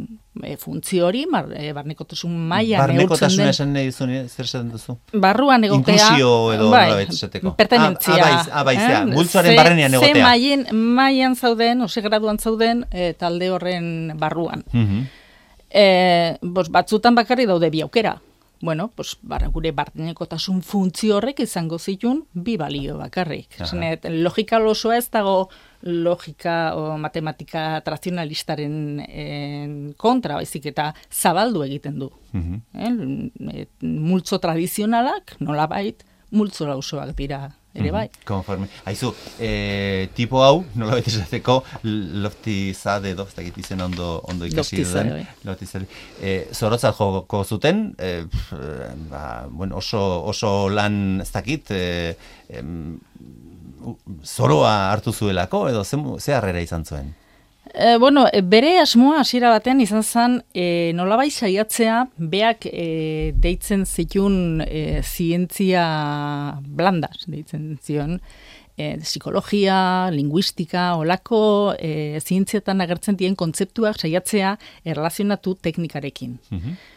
e, funtzio hori, bar, e, barnekotasun maila neurtzen den. Barnekotasuna esan nahi duzu, zer esaten duzu? Barruan egotea. Inklusio edo bai, nola betzeteko. Pertenentzia. Ah, ah, bai, eh? Multzoaren barrenean egotea. Ze mailen, mailan zauden, ose graduan zauden, e, talde horren barruan. Mm-hmm. e, bos, batzutan bakarri daude bi aukera. Bueno, pues, bar, gure barnekotasun funtzio horrek izango zituen bi balio bakarrik. Zenet, logika osoa ez dago logika o matematika tradizionalistaren en, kontra, baizik eta zabaldu egiten du. Mm-hmm. eh, multzo tradizionalak, nolabait, multzo lausoak dira ere bai. Mm-hmm. Konforme. Aizu, eh, tipo hau, nolabait esateko, loftizade edo, ez dakit izen ondo, ondo ikasi duen. Loftizade. Eh, Zorotzat joko zuten, eh, ba, bueno, oso, oso lan ez dakit, eh, em, zoroa hartu zuelako, edo ze, ze harrera izan zuen? E, bueno, bere asmoa hasiera batean izan zen e, nolabait saiatzea beak e, deitzen zitun e, zientzia blandas, deitzen zion, e, psikologia, linguistika, olako e, zientzietan agertzen dien kontzeptuak saiatzea erlazionatu teknikarekin. Mm-hmm.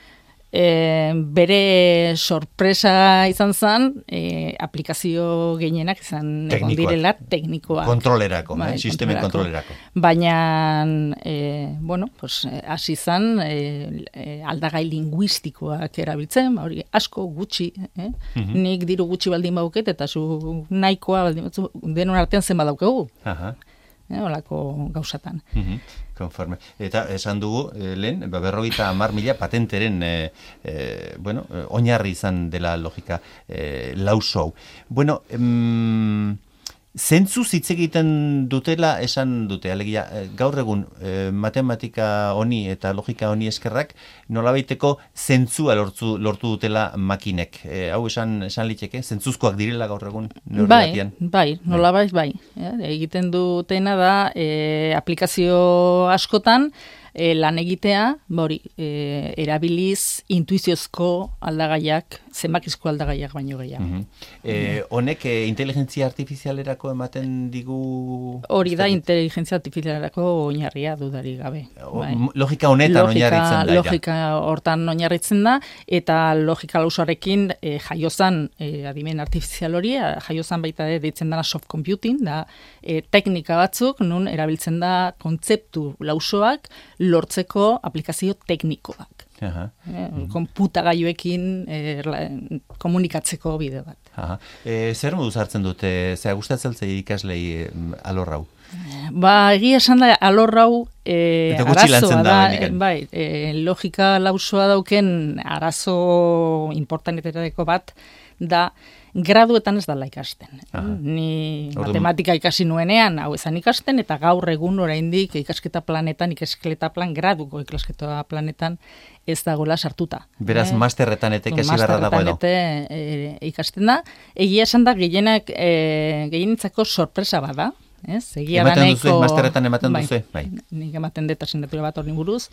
E, bere sorpresa izan zen, e, aplikazio gehienak izan egon direla teknikoak. Kontrolerako, bai, eh, sistemen kontrolerako. Baina, e, bueno, pues, hasi zen e, e, aldagai linguistikoak erabiltzen, hori asko gutxi, eh? Mm-hmm. Nik diru gutxi baldin bauket, eta zu nahikoa baldin batzu, denon artean zen badaukagu. Aha. Eh, olako gauzatan. Mm-hmm. Konforme. Eta esan dugu, eh, lehen, berrogeita hamar mila patenteren eh, eh, bueno, eh, oinarri izan dela logika eh, lauso. Bueno, em, zentzu hitz egiten dutela esan dute, alegia, gaur egun eh, matematika honi eta logika honi eskerrak nolabaiteko zentzua lortu, lortu dutela makinek. E, hau esan, esan liteke, zentzuzkoak direla gaur egun bai, bai, nolabait bai. Ja, egiten dutena da e, aplikazio askotan e, lan egitea, bori, e, erabiliz intuiziozko aldagaiak, zenbakizko aldagaiak baino gehiago. Mm-hmm. e, honek e, inteligentzia artifizialerako ematen digu... Hori da inteligentzia artifizialerako oinarria dudari gabe. Bai. Logika honetan logika, oinarritzen da. Logika hortan oinarritzen da, eta logika lausoarekin e, jaiozan e, adimen artifizial hori, jaiozan baita de, deitzen dana soft computing, da e, teknika batzuk, nun erabiltzen da kontzeptu lausoak lortzeko aplikazio teknikoak. Aha. Eh, konputagailuekin eh, komunikatzeko bide bat. Aha. E, zer moduz hartzen dute, zera gustatzen zei ikaslei alorrau? Ba, egia esan da alorrau e, arazoa da, da bai, e, logika lausoa dauken arazo importantetareko bat da graduetan ez dala ikasten. Aha. Ni Orduan- matematika ikasi nuenean, hau ezan ikasten, eta gaur egun oraindik ikasketa planetan, ikasketa plan, graduko ikasketa planetan ez dagoela sartuta. Beraz, Eh, masterretan eta ikasi beharra dago edo. Masterretan eta, e, ikasten da. Egia esan da gehienak, e, gehienitzako sorpresa bada. Ez? Egia da Ematen nahiko... duzu, masterretan ematen bai, duzu, bai. Nik ematen dut asignatura bat horri buruz.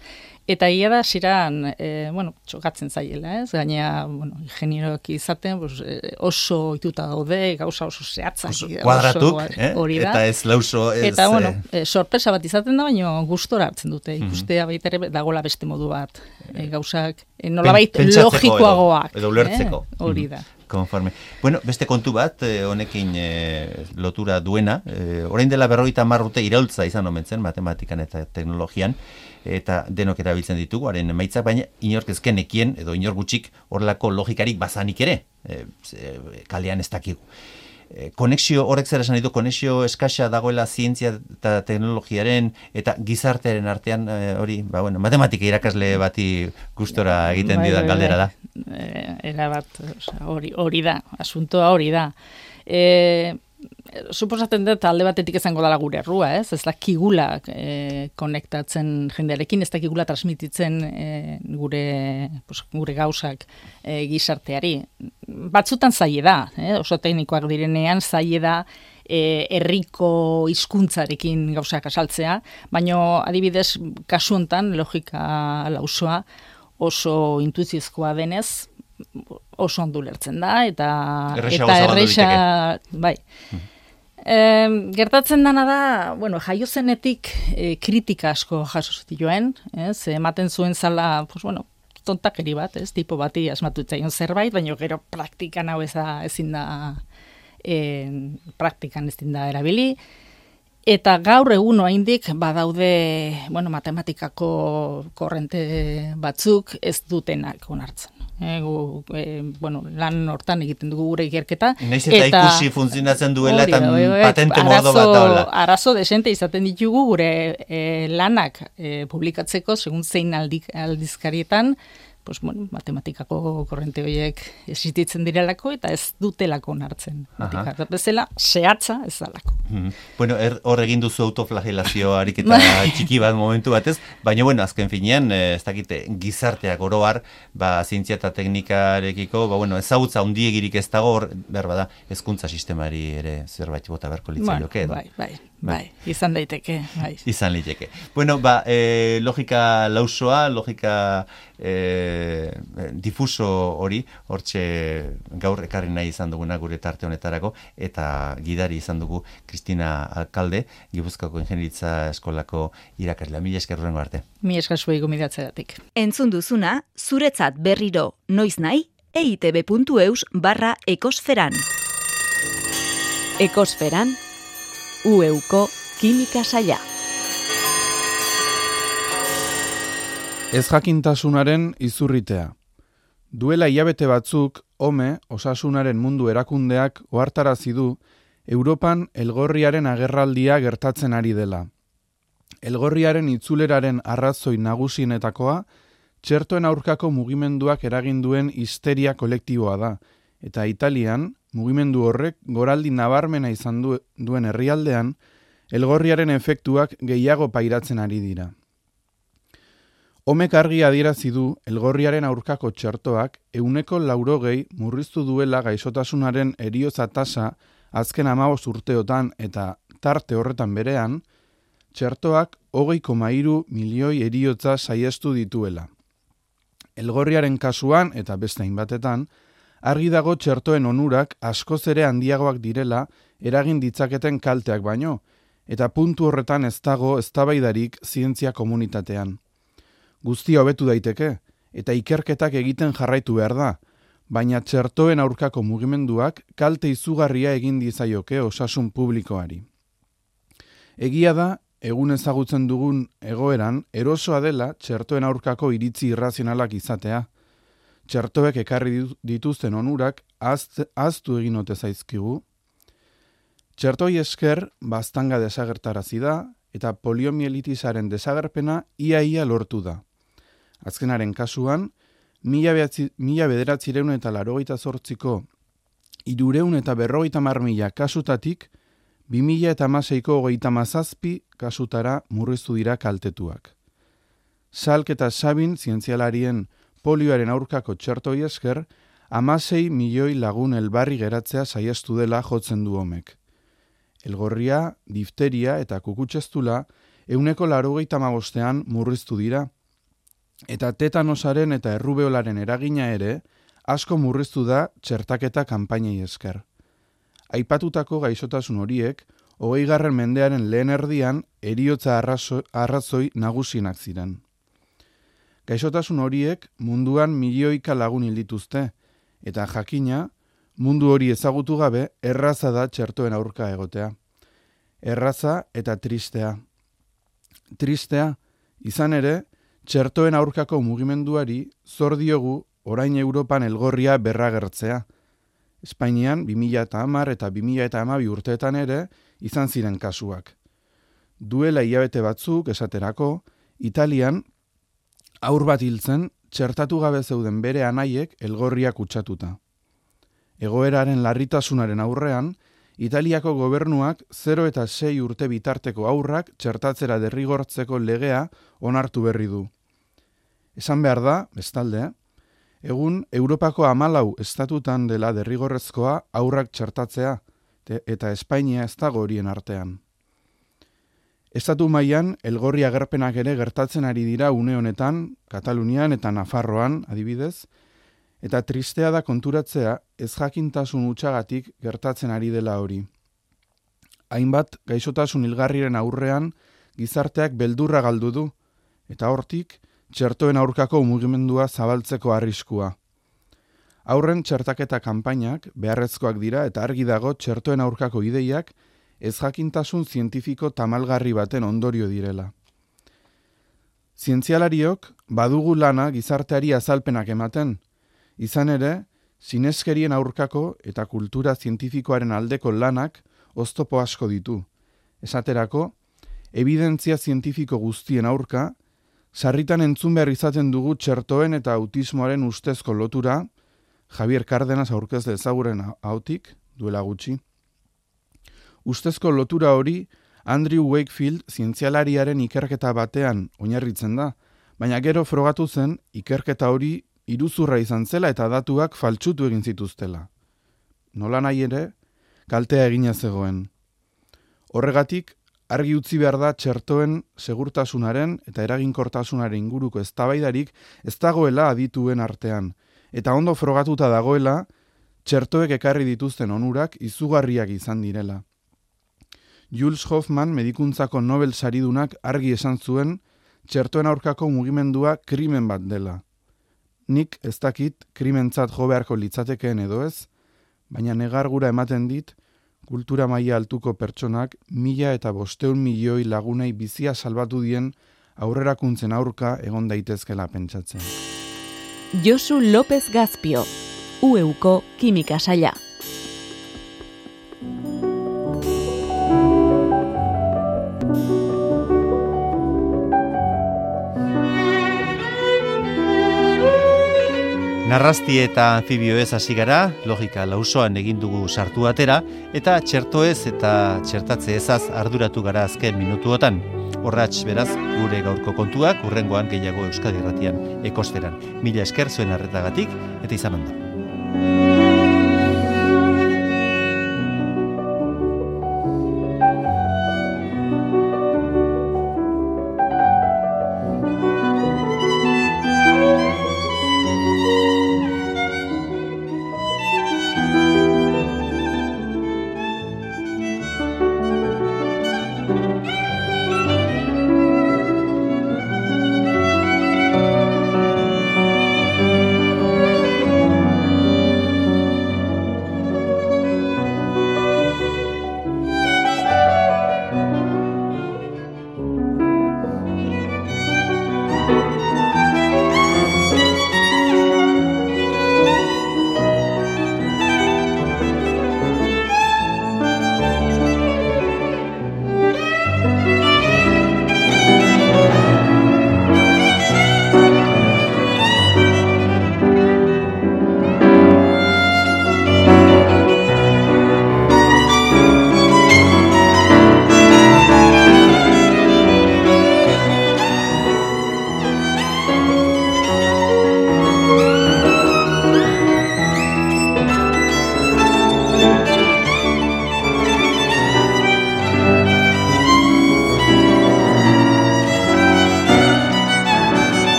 Eta egia da, ziran, e, bueno, txokatzen zaiela, ez? Gaina, bueno, ingenieroak izaten, pues, e, oso ituta daude, gauza oso zehatzak. Oso oso- kuadratuk, eh? hori da. Eta ez lauso, ez... Eta, bueno, eh, e, sorpresa bat izaten da, baina gustora hartzen dute. Mhm. Ikustea baita ere dagola beste modu bat. E, gauzak, e, nolabait pentsatzeko logikoagoak. edo- edo ulertzeko. Eh? Hori da. Konforme. Bueno, beste kontu bat, eh, honekin eh, lotura duena, eh, orain dela berrogeita hamar urte iraultza izan omen zen matematikan eta teknologian, eta denok erabiltzen ditugu, haren emaitzak, baina inork ezken nekien, edo inor gutxik horrelako logikarik bazanik ere, eh, ze- kalean ez dakigu. Eh, konexio, horrek zer esan ditu, konexio eskasa dagoela zientzia eta teknologiaren eta gizartearen artean, eh, hori, ba, bueno, matematika irakasle bati gustora egiten Bai, didan bai, galdera da. bai. Eh, era bat, osea, hori, hori da, asuntoa hori da. E, suposatzen dut alde batetik izango dela gure errua, ez? Ez dakigula e, konektatzen jendearekin, ez dakigula transmititzen e, gure, pues, gure gauzak e, gizarteari. Batzutan zaie da, eh? Oso teknikoak direnean zaie da e, herriko hizkuntzarekin gauzak asaltzea, baina adibidez kasu hontan logika lausoa oso intuiziozkoa denez, oso ondo ulertzen da, eta Errazago eta zabaldu erresa, bai. E, gertatzen dana da, bueno, jaio zenetik e, kritika asko jaso zituen, ez? Ematen zuen zala, pues bueno, tontakeri bat, ez? Tipo bati asmatu zitzaion zerbait, baina gero praktikan hau ez da, ezin da, e, praktikan ezin da erabili. Eta gaur egun oraindik badaude, bueno, matematikako korrente batzuk ez dutenak onartzen. E, gu, e, bueno, lan hortan egiten dugu gure ikerketa. Naiz eta, ikusi funtzionatzen duela eta patente modo bat daula. Arazo desente izaten ditugu gure e, lanak e, publikatzeko, segun zein aldik, aldizkarietan, pues, bueno, matematikako korrente horiek existitzen direlako eta ez dutelako onartzen. Bezala, zehatza ez dalako. Mm-hmm. Bueno, er, hor egin duzu autoflagelazio ariketa txiki bat momentu batez, baina bueno, azken finean, ez dakite, gizarteak oroar, ba, zientzia eta teknikarekiko, ba, bueno, ezagutza handiegirik ez dago, hor, behar bada, hezkuntza sistemari ere zerbait bota beharko litzaioke edo. Bai, bai, bai, izan daiteke, bai. Izan liteke. Bueno, ba, e, logika lausoa, logika e, difuso hori, hortxe gaur ekarri nahi izan duguna gure tarte honetarako, eta gidari izan dugu Kristina Alkalde, Gipuzkoako Ingeniaritza Eskolako irakaslea. Mila esker hurrengo arte. Mi esker zuei gomidatzeratik. Entzun duzuna, zuretzat berriro noiz nahi, eitb puntu eus barra ekosferan. Ekosferan, Ueuko kimika saila. Ez jakintasunaren izurritea. Duela hilabete batzuk, Ome, Osasunaren Mundu Erakundeak ohartarazi du Europan elgorriaren agerraldia gertatzen ari dela. Elgorriaren itzuleraren arrazoi nagusienetakoa, txertoen aurkako mugimenduak eragin duen histeria kolektiboa da, eta Italian, mugimendu horrek goraldi nabarmena izan du, duen herrialdean, elgorriaren efektuak gehiago pairatzen ari dira. Homek argi adierazi du elgorriaren aurkako txertoak ehuneko laurogei murriztu duela gaixotasunaren heriotza tasa azken hamabost urteotan eta tarte horretan berean, txertoak hogei koma hiru milioi heriotza saiestu dituela. Elgorriaren kasuan eta beste hainbatetan, argi dago txertoen onurak askoz ere handiagoak direla eragin ditzaketen kalteak baino, eta puntu horretan ez dago eztabaidarik zientzia komunitatean. Guztia hobetu daiteke, eta ikerketak egiten jarraitu behar da, baina txertoen aurkako mugimenduak kalte izugarria egin dizaioke osasun publikoari. Egia da, egun ezagutzen dugun egoeran, erosoa dela txertoen aurkako iritzi irrazionalak izatea. Txertoek ekarri dituzten onurak ahaztu egin ote zaizkigu. Txertoi esker baztanga desagertarazi da eta poliomielitisaren desagerpena ia-ia lortu da. Azkenaren kasuan, mila bederatzireun eta laurogeita zortziko Hirureun eta berrogeita hamar mila kasutatik, bi mila eta hamaseiko hogeita hamazazpi kasutara murriztu dira kaltetuak. Salk eta Sabin zientzialarien polioaren aurkako txertoi esker, hamasei milioi lagun elbarri geratzea saiestu dela jotzen du homek. Elgorria, difteria eta kukutsestula euneko laurogeita hamabostean murriztu dira, eta tetanosaren eta errubeolaren eragina ere asko murriztu da txertaketa kanpainei esker. Aipatutako gaixotasun horiek, hogeigarren mendearen lehen erdian heriotza arrazo, arrazoi nagusienak ziren. Gaixotasun horiek munduan milioika lagun hil dituzte, eta jakina, mundu hori ezagutu gabe erraza da txertoen aurka egotea. Erraza eta tristea. Tristea, izan ere, txertoen aurkako mugimenduari zor diogu orain Europan elgorria berragertzea. Espainian bi mila hamar eta bi mila hamabi urteetan ere izan ziren kasuak. Duela hilabete batzuk esaterako, Italian haur bat hiltzen txertatu gabe zeuden bere anaiek elgorria kutsatuta. Egoeraren larritasunaren aurrean, Italiako gobernuak zero eta sei urte bitarteko haurrak txertatzera derrigortzeko legea onartu berri du. Esan behar da, bestalde, egun Europako hamalau estatutan dela derrigorrezkoa haurrak txertatzea, eta Espainia ez dago horien artean. Estatu mailan elgorri agerpenak ere gertatzen ari dira une honetan, Katalunian eta Nafarroan, adibidez, eta tristea da konturatzea ez jakintasun hutsagatik gertatzen ari dela hori. Hainbat gaixotasun hilgarriren aurrean gizarteak beldurra galdu du, eta hortik txertoen aurkako mugimendua zabaltzeko arriskua. Aurren txertaketa kanpainak beharrezkoak dira eta argi dago txertoen aurkako ideiak ez jakintasun zientifiko tamalgarri baten ondorio direla. Zientzialariok badugu lana gizarteari azalpenak ematen, izan ere, sineskerien aurkako eta kultura zientifikoaren aldeko lanak oztopo asko ditu. Esaterako, evidentzia zientifiko guztien aurka, sarritan entzun behar izaten dugu txertoen eta autismoaren ustezko lotura, Javier Cárdenas aurkezle ezaguren hautik, duela gutxi. Ustezko lotura hori Andrew Wakefield zientzialariaren ikerketa batean oinarritzen da, baina gero frogatu zen ikerketa hori iruzurra izan zela eta datuak faltsutu egin zituztela. Nola nahi ere, kaltea egina zegoen. Horregatik, argi utzi behar da txertoen segurtasunaren eta eraginkortasunaren inguruko eztabaidarik ez dagoela adituen artean, eta ondo frogatuta dagoela txertoek ekarri dituzten onurak izugarriak izan direla. Jules Hoffman medikuntzako Nobel saridunak argi esan zuen txertoen aurkako mugimendua krimen bat dela. Nik ez dakit krimentzat jo beharko litzatekeen edo ez, baina negargura ematen dit kultura maila altuko pertsonak mila eta bosteun milioi lagunei bizia salbatu dien aurrerakuntzen aurka egon daitezkela pentsatzen. Josu López Gazpio, U Euko Kimika Saila. Narrasti eta anfibioez hasi gara, logika lausoan egin dugu sartu atera, eta txertoez eta txertatze ezaz arduratu gara azken minutuotan. Horratx beraz, gure gaurko kontuak, urrengoan gehiago Euskadi Irratian ekosferan. Mila esker zuen arretagatik, eta izan ondo.